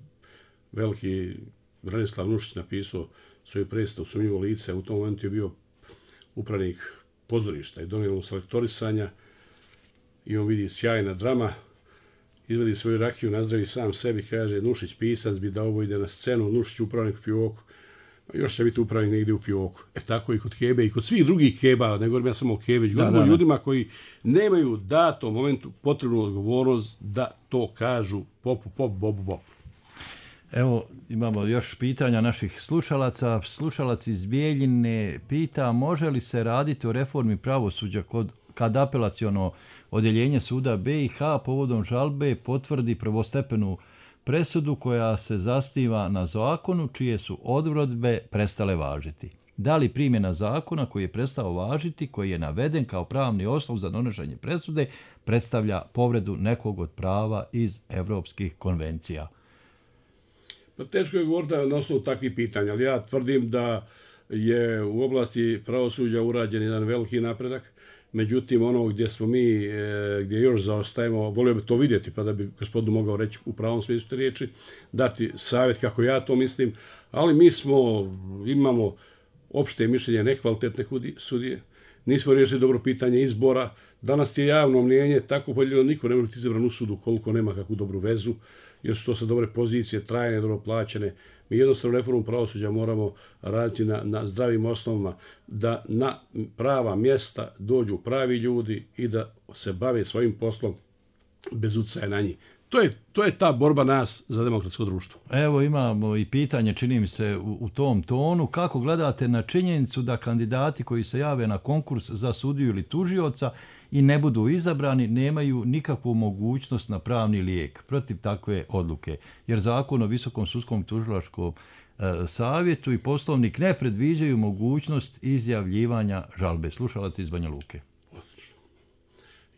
veliki Branislav Nušić napisao svoju predstavu Sumnjivo lice, u tom momentu je bio upravnik pozorišta i donijelo selektorisanja i on vidi sjajna drama izvadi svoju rakiju, nazdravi sam sebi, kaže Nušić pisac bi da ovo ide na scenu, Nušić upravnik u Fioku, još će biti upravnik negdje u Fioku. Tako i kod Kebe i kod svih drugih Keba, ne govorim ja samo o Kebeću, govorim o ljudima koji nemaju datom momentu potrebnu odgovornost da to kažu popu, pop, bobu, bobu. Evo, imamo još pitanja naših slušalaca. Slušalac iz Bijeljine pita može li se raditi o reformi pravosuđa kad apelaciono odjeljenje suda BiH povodom žalbe potvrdi prvostepenu presudu koja se zasniva na zakonu čije su odredbe prestale važiti. Da li primjena zakona koji je prestao važiti, koji je naveden kao pravni osnov za donošenje presude, predstavlja povredu nekog od prava iz evropskih konvencija? Pa teško je govoriti na osnovu takvih pitanja, ali ja tvrdim da je u oblasti pravosuđa urađen jedan veliki napredak. Međutim, ono gdje smo mi, gdje još zaostajemo, volio bi to vidjeti, pa da bi gospodinu mogao reći u pravom smislu te riječi, dati savjet kako ja to mislim, ali mi imamo opšte mišljenje nekvalitetne sudije, nismo riješili dobro pitanje izbora, danas je javno mnijenje tako podijeljeno, niko ne može biti izabran u sudu koliko nema kakvu dobru vezu, jer su to sa dobre pozicije, trajne, dobro plaćene. Mi jednostavno reformu pravosuđa moramo raditi na zdravim osnovama, da na prava mjesta dođu pravi ljudi i da se bave svojim poslom bez utjecaja na njih. To je ta borba nas za demokratsko društvo. Evo imamo i pitanje, čini mi se, u tom tonu. Kako gledate na činjenicu da kandidati koji se jave na konkurs za sudiju ili tužioca i ne budu izabrani, nemaju nikakvu mogućnost na pravni lijek protiv takve odluke? Jer zakon o Visokom sudskom tužilačkom savjetu i poslovnik ne predviđaju mogućnost izjavljivanja žalbe. Slušalac iz Banja Luke.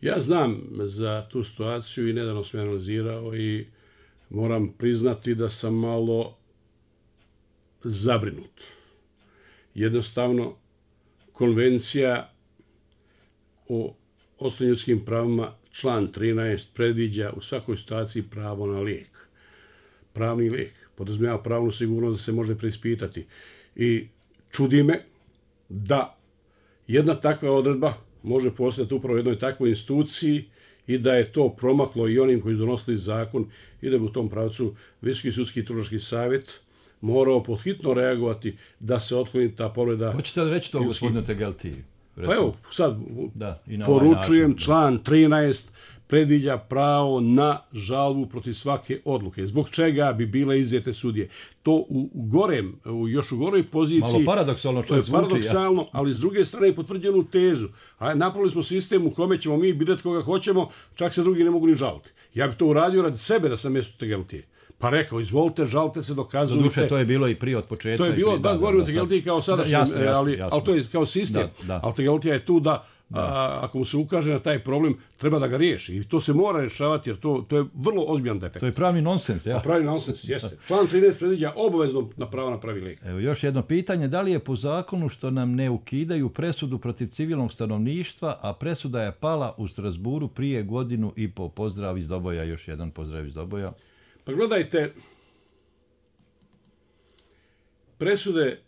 Ja znam za tu situaciju i nedavno sam analizirao i moram priznati da sam malo zabrinut. Jednostavno, konvencija o osnovnim ljudskim pravima, član 13, predviđa u svakoj situaciji pravo na lijek. Pravni lijek podrazumijeva pravnu sigurnost da se može preispitati. I čudi me da jedna takva odredba može postati upravo jednoj takvoj instituciji i da je to promaklo i onim koji su donosili zakon i da bi u tom pravcu Visoki sudski tužilački savjet morao podhitno reagovati da se otkloni ta povreda. Hoćete li reći to, gospodine Tegelti? Pa evo, sad poručujem, član 13 predviđa pravo na žalbu protiv svake odluke. Zbog čega bi bile izjete sudije? To još u goroj poziciji... Malo paradoksalno čovjek zvuči. Paradoksalno, ali s druge strane je potvrđenu tezu. A napravili smo sistem u kome ćemo mi birati koga hoćemo, čak se drugi ne mogu ni žaliti. Ja bi to uradio radi sebe da sam mjesto Tegeltije. Pa rekao, izvolite, žalite se, dokazujte. Duše, to je bilo i prije od početka. To je bilo, da, govorim o Tegeltiji kao sadašnjem, ali to je kao sistem. Ali Tegeltija je tu da ako mu se ukaže na taj problem, treba da ga riješi. I to se mora rješavati, jer to je vrlo ozbiljan defekt. To je pravni nonsens, ja? Pravi nonsens, jeste. Član 13 predviđa obavezno na pravo na pravi lijek. Evo još jedno pitanje. Da li je po zakonu što nam ne ukidaju presudu protiv civilnog stanovništva, a presuda je pala u Strasburu prije 1.5 godina? Pozdrav iz Doboja, još jedan pozdrav iz Doboja. Pa gledajte, presude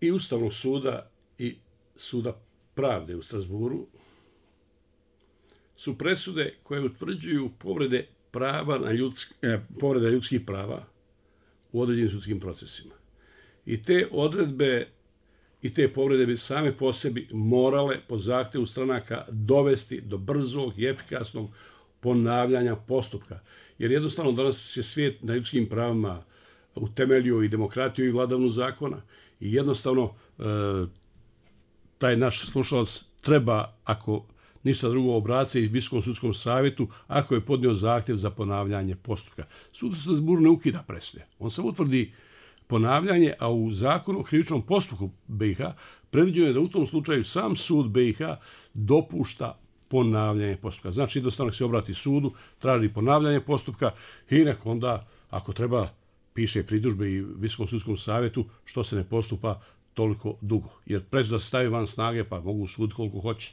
i Ustavnog suda i Suda pravde u Strasburu su presude koje utvrđuju povrede povreda ljudskih prava u određenim sudskim procesima. I te odredbe i te povrede bi same po sebi morale po zahtjevu stranaka dovesti do brzog i efikasnog ponavljanja postupka. Jer jednostavno danas je svijet na ljudskim pravima utemeljio i demokratiju i vladavnu zakona i jednostavno taj naš slušalac treba, ako ništa drugo, obraća i Visokom sudskom savjetu ako je podnio zahtjev za ponavljanje postupka. Sud u Strasburu ne ukida presude. On samo utvrdi ponavljanje, a u zakonu o krivičnom postupku BiH predviđeno je da u tom slučaju sam sud BiH dopušta ponavljanje postupka. Znači, jednostavno se obrati sudu, traži ponavljanje postupka i nek onda, ako treba, piše pritužbe i Visokom sudskom savjetu što se ne postupa toliko dugo. Jer presuda se stavi van snage, pa mogu sud koliko hoće.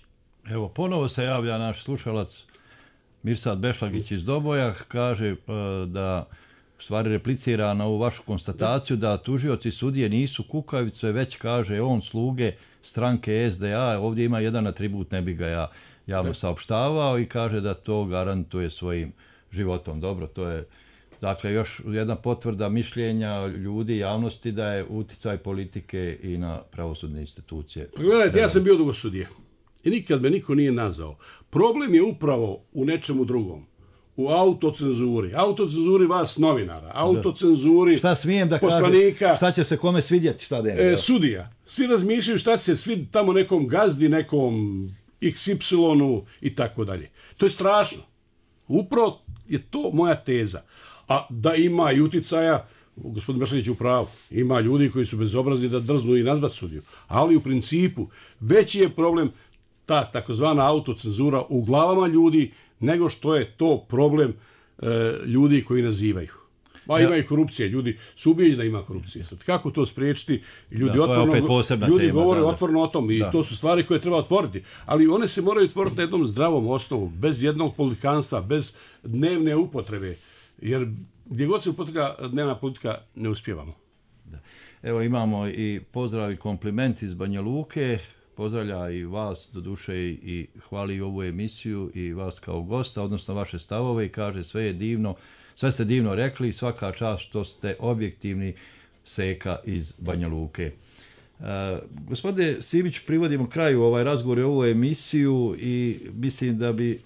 Evo, ponovo se javlja naš slušalac Mirsad Bešlagić iz Doboja, kaže da u stvari replicira na ovu vašu konstataciju da tužioci sudije nisu kukavice, već kaže on sluge stranke SDA. Ovdje ima jedan atribut, ne bi ga ja javno saopštavao, i kaže da to garantuje svojim životom. Dobro, to je dakle još jedna potvrda mišljenja ljudi, javnosti da je uticaj politike i na pravosudne institucije. Gledajte, ja sam bio dugo sudija i nikad me niko nije nazvao. Problem je upravo u nečemu drugom. U autocenzuri. Autocenzuri vas novinara. Autocenzuri šta smijem da poslanika. Kažem, šta će se kome svidjeti, šta da je. Sudija. Svi razmišljaju šta će se svidjeti tamo nekom gazdi, nekom XY-u i tako dalje. To je strašno. Upravo je to moja teza. A da ima i uticaja, gospodin Bešanić je u pravu, ima ljudi koji su bezobrazni da drznu i nazvat sudiju. Ali u principu veći je problem ta takozvana autocenzura u glavama ljudi nego što je to problem ljudi koji nazivaju. Ma ima i korupcije, ljudi su ubijeđeni da ima korupcije. Sad, kako to spriječiti? Ljudi, ljudi govore otvoreno o tom i to su stvari koje treba otvoriti. Ali one se moraju otvoriti na jednom zdravom osnovu, bez jednog politikanstva, bez dnevne upotrebe. Jer gdje god se upotreblja dnevna politika ne uspijevamo. Da. Evo imamo i pozdrav i kompliment iz Banja Luke. Pozdravlja i vas, doduše i hvali ovu emisiju i vas kao gosta, odnosno vaše stavove i kaže sve je divno, sve ste divno rekli, svaka čast što ste objektivni, Seka iz Banja Luke. Gospodine Simić, privodimo kraju ovaj razgovor i ovu emisiju i mislim da bi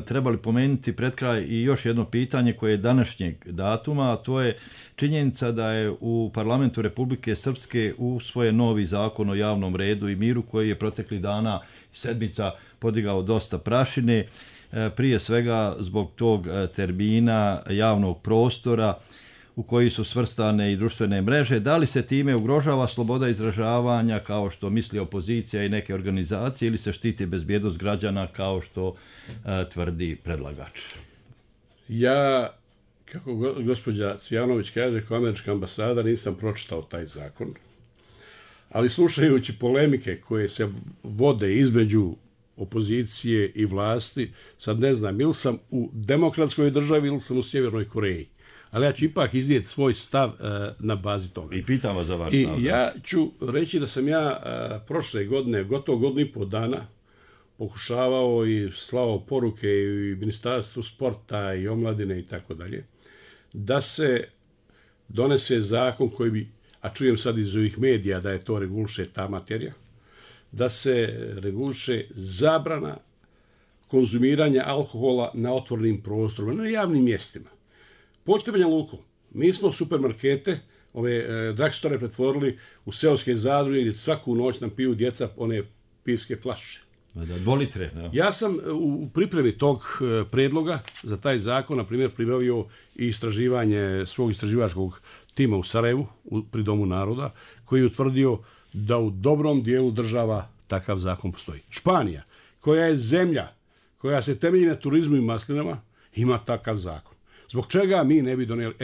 trebali pomenuti pred kraj i još jedno pitanje koje je današnjeg datuma, a to je činjenica da je u parlamentu Republike Srpske usvojen novi zakon o javnom redu i miru koji je proteklih dana sedmica podigao dosta prašine, prije svega zbog tog termina javnog prostora u koji su svrstane i društvene mreže. Da li se time ugrožava sloboda izražavanja kao što misli opozicija i neke organizacije ili se štiti bezbjednost građana kao što tvrdi predlagač? Ja, kako gospođa Cvijanović kaže, kao američka ambasada nisam pročitao taj zakon, ali slušajući polemike koje se vode između opozicije i vlasti, sad ne znam, ili sam u demokratskoj državi ili sam u Sjevernoj Koreji. Ali ja ću ipak iznijeti svoj stav na bazi toga. I pitam vas za vaš stav. I ja ću reći da sam ja prošle godine, gotovo godinu i po dana, pokušavao i slao poruke i Ministarstvu sporta i omladine i tako dalje, da se donese zakon koji bi, a čujem sad iz ovih medija da je to reguliše ta materija, da se reguliše zabrana konzumiranja alkohola na otvorenim prostorima, na javnim mjestima. Pođite Banja Luku, mi smo supermarkete, ove drugstore pretvorili u seoske zadruge gdje svaku noć nam piju djeca one pivske flaše. Da, 2 litre. Da. Ja sam u pripremi tog predloga za taj zakon, na primjer, pribavio i istraživanje svog istraživačkog tima u Sarajevu, pri Domu naroda, koji je utvrdio da u dobrom dijelu država takav zakon postoji. Španija, koja je zemlja koja se temelji na turizmu i maslinama, ima takav zakon. Zbog čega mi ne bi donijeli?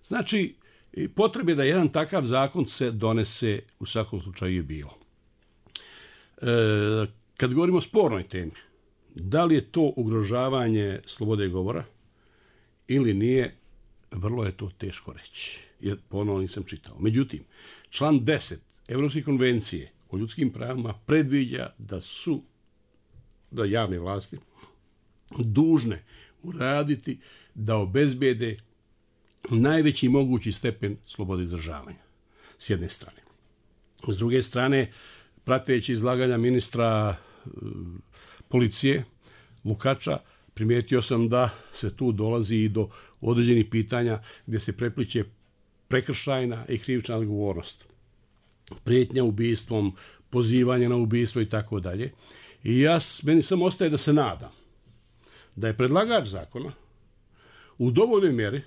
Znači, potrebe da jedan takav zakon se donese u svakom slučaju je bilo. Kad govorimo o spornoj temi, da li je to ugrožavanje slobode govora ili nije, vrlo je to teško reći, jer ponovno nisam čitao. Međutim, član 10 Evropske konvencije o ljudskim pravima predviđa da javne vlasti dužne uraditi da obezbede najveći mogući stepen slobode izražavanja, s jedne strane. S druge strane, prateći izlaganja ministra policije Lukača, primijetio sam da se tu dolazi i do određenih pitanja gdje se prepliče prekršajna i krivična odgovornost. Prijetnja ubistvom, pozivanje na ubistvo i tako dalje. I meni samo ostaje da se nadam da je predlagač zakona u dovoljnoj mjeri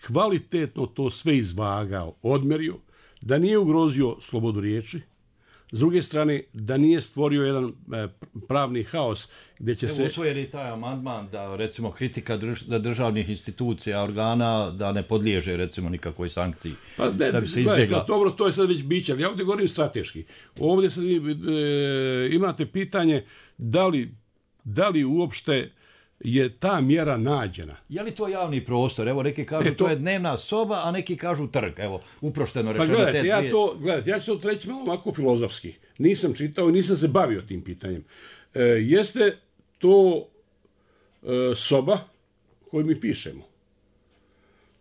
kvalitetno to sve izvagao, odmerio, da nije ugrozio slobodu riječi, s druge strane da nije stvorio jedan pravni haos gdje će se... Usvojen je taj amandman da recimo kritika državnih institucija, organa, da ne podliježe recimo nikakvoj sankciji. Pa da bi se izbjegla. Dobro, to je sad već biće, ali ja ovdje govorim strateški. Ovdje sad imate pitanje da li uopšte je ta mjera nađena. Je li to javni prostor? Evo, neki kažu to je dnevna soba, a neki kažu trg. Evo, uprošteno rečeno. Pa gledajte, ja ću to reći malo ovako filozofski. Nisam čitao i nisam se bavio tim pitanjem. Jeste to soba koju mi pišemo.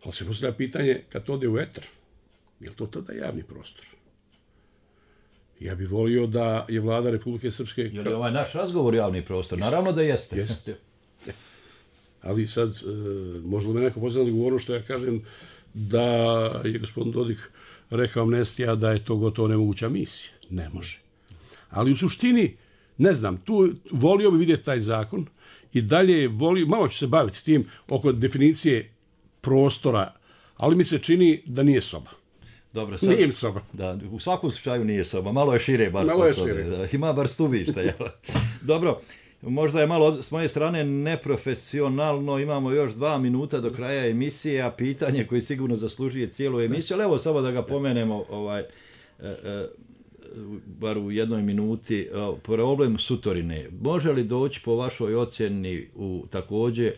Ali se postavlja pitanje, kad to ode u etar, je li to tada javni prostor? Ja bih volio da je vlada Republike Srpske... Je li ovaj naš razgovor javni prostor? Naravno da jeste. Jeste. Ali sad, možda me neko poznat govorio što ja kažem da je gospodin Dodik rekao amnestija da je to gotovo nemoguća misija. Ne može. Ali u suštini, ne znam, tu volio bi vidjeti taj zakon i dalje volio, malo ću se baviti tim oko definicije prostora, ali mi se čini da nije soba. Dobro, sad, nije soba. Da, u svakom slučaju nije soba, malo je šire bar. Malo je šire. Da, ima bar stubišta. Dobro, možda je malo s moje strane neprofesionalno, imamo još 2 minuta do kraja emisije, a pitanje koje sigurno zaslužuje cijelu emisiju, ali evo samo da ga pomenemo bar u 1 minuti, problem Sutorine. Može li doći po vašoj ocjeni također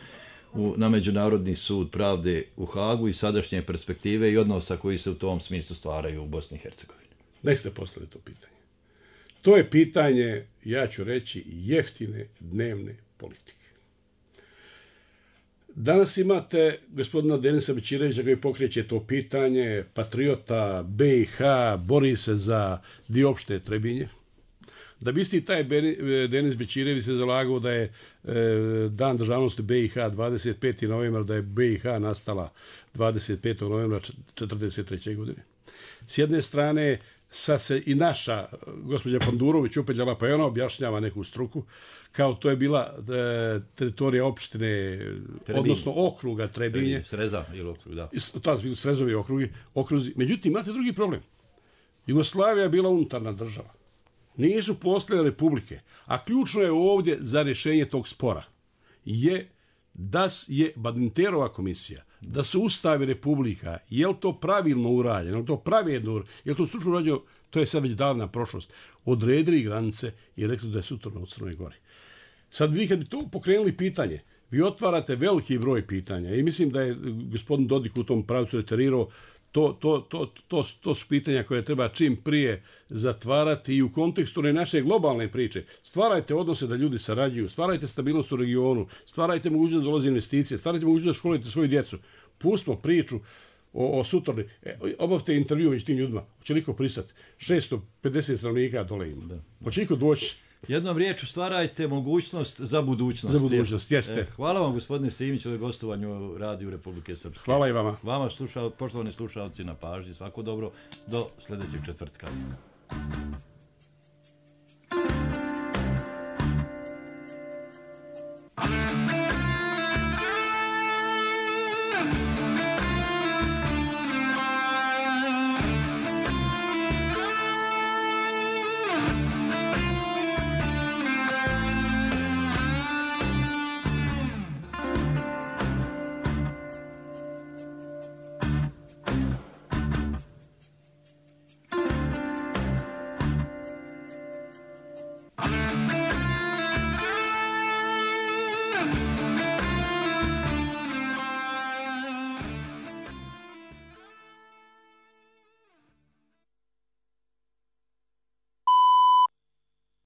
na Međunarodni sud pravde u Hagu i sadašnje perspektive i odnosa koji se u tom smislu stvaraju u Bosni i Hercegovini? Nek ste poslali to pitanje. To je pitanje, ja ću reći, jeftine dnevne politike. Danas imate gospodina Denisa Bećirevića koji pokreće to pitanje, patriota BiH, bori se za dio opšte Trebinje. Da bi isti taj Denis Bećirević se zalagao da je dan državnosti BiH 25. novembra, da je BiH nastala 25. novembra 1943. godine. S jedne strane, sad se i naša gospođa Pandurović upetljala, pa i ona objašnjava neku struku, kao to je bila teritorija opštine, Trebinje. Odnosno okruga Trebinje. Sreza ili okrug, da. To su Srezovi okruzi. Međutim, imate drugi problem. Jugoslavija je bila unutarna država. Nisu postojale republike. A ključno je ovdje za rješenje tog spora je da je Badinterova komisija, da se ustavi republika, je li to pravilno urađeno, je li to pravedno urađeno, je li to stručno urađeno, to je sad već davna prošlost. Odredili granice i rekli da je Sutorno u Crnoj Gori. Sad vi kad bi to pokrenuli pitanje, vi otvarate veliki broj pitanja i mislim da je gospodin Dodik u tom pravcu reterirao. To su pitanja koje treba čim prije zatvarati i u kontekstu naše globalne priče. Stvarajte odnose da ljudi sarađuju, stvarajte stabilnost u regionu, stvarajte mogućnost da dolaze investicije, stvarajte mogućnost da školite svoju djecu. Pustimo priču o Sutorni. Obavite intervju među tim ljudima. Hoće liko pristati? 650 stanovnika dole ima. Hoće liko doći? Jednom riječu stvarajte mogućnost za budućnost. Za budućnost, jeste. Hvala vam, gospodine Simić, za gostovanju u Radiju Republike Srpske. Hvala i vama. Vama, poštovani slušalci, na pažnji. Svako dobro. Do sljedećeg četvrtka. Yeah.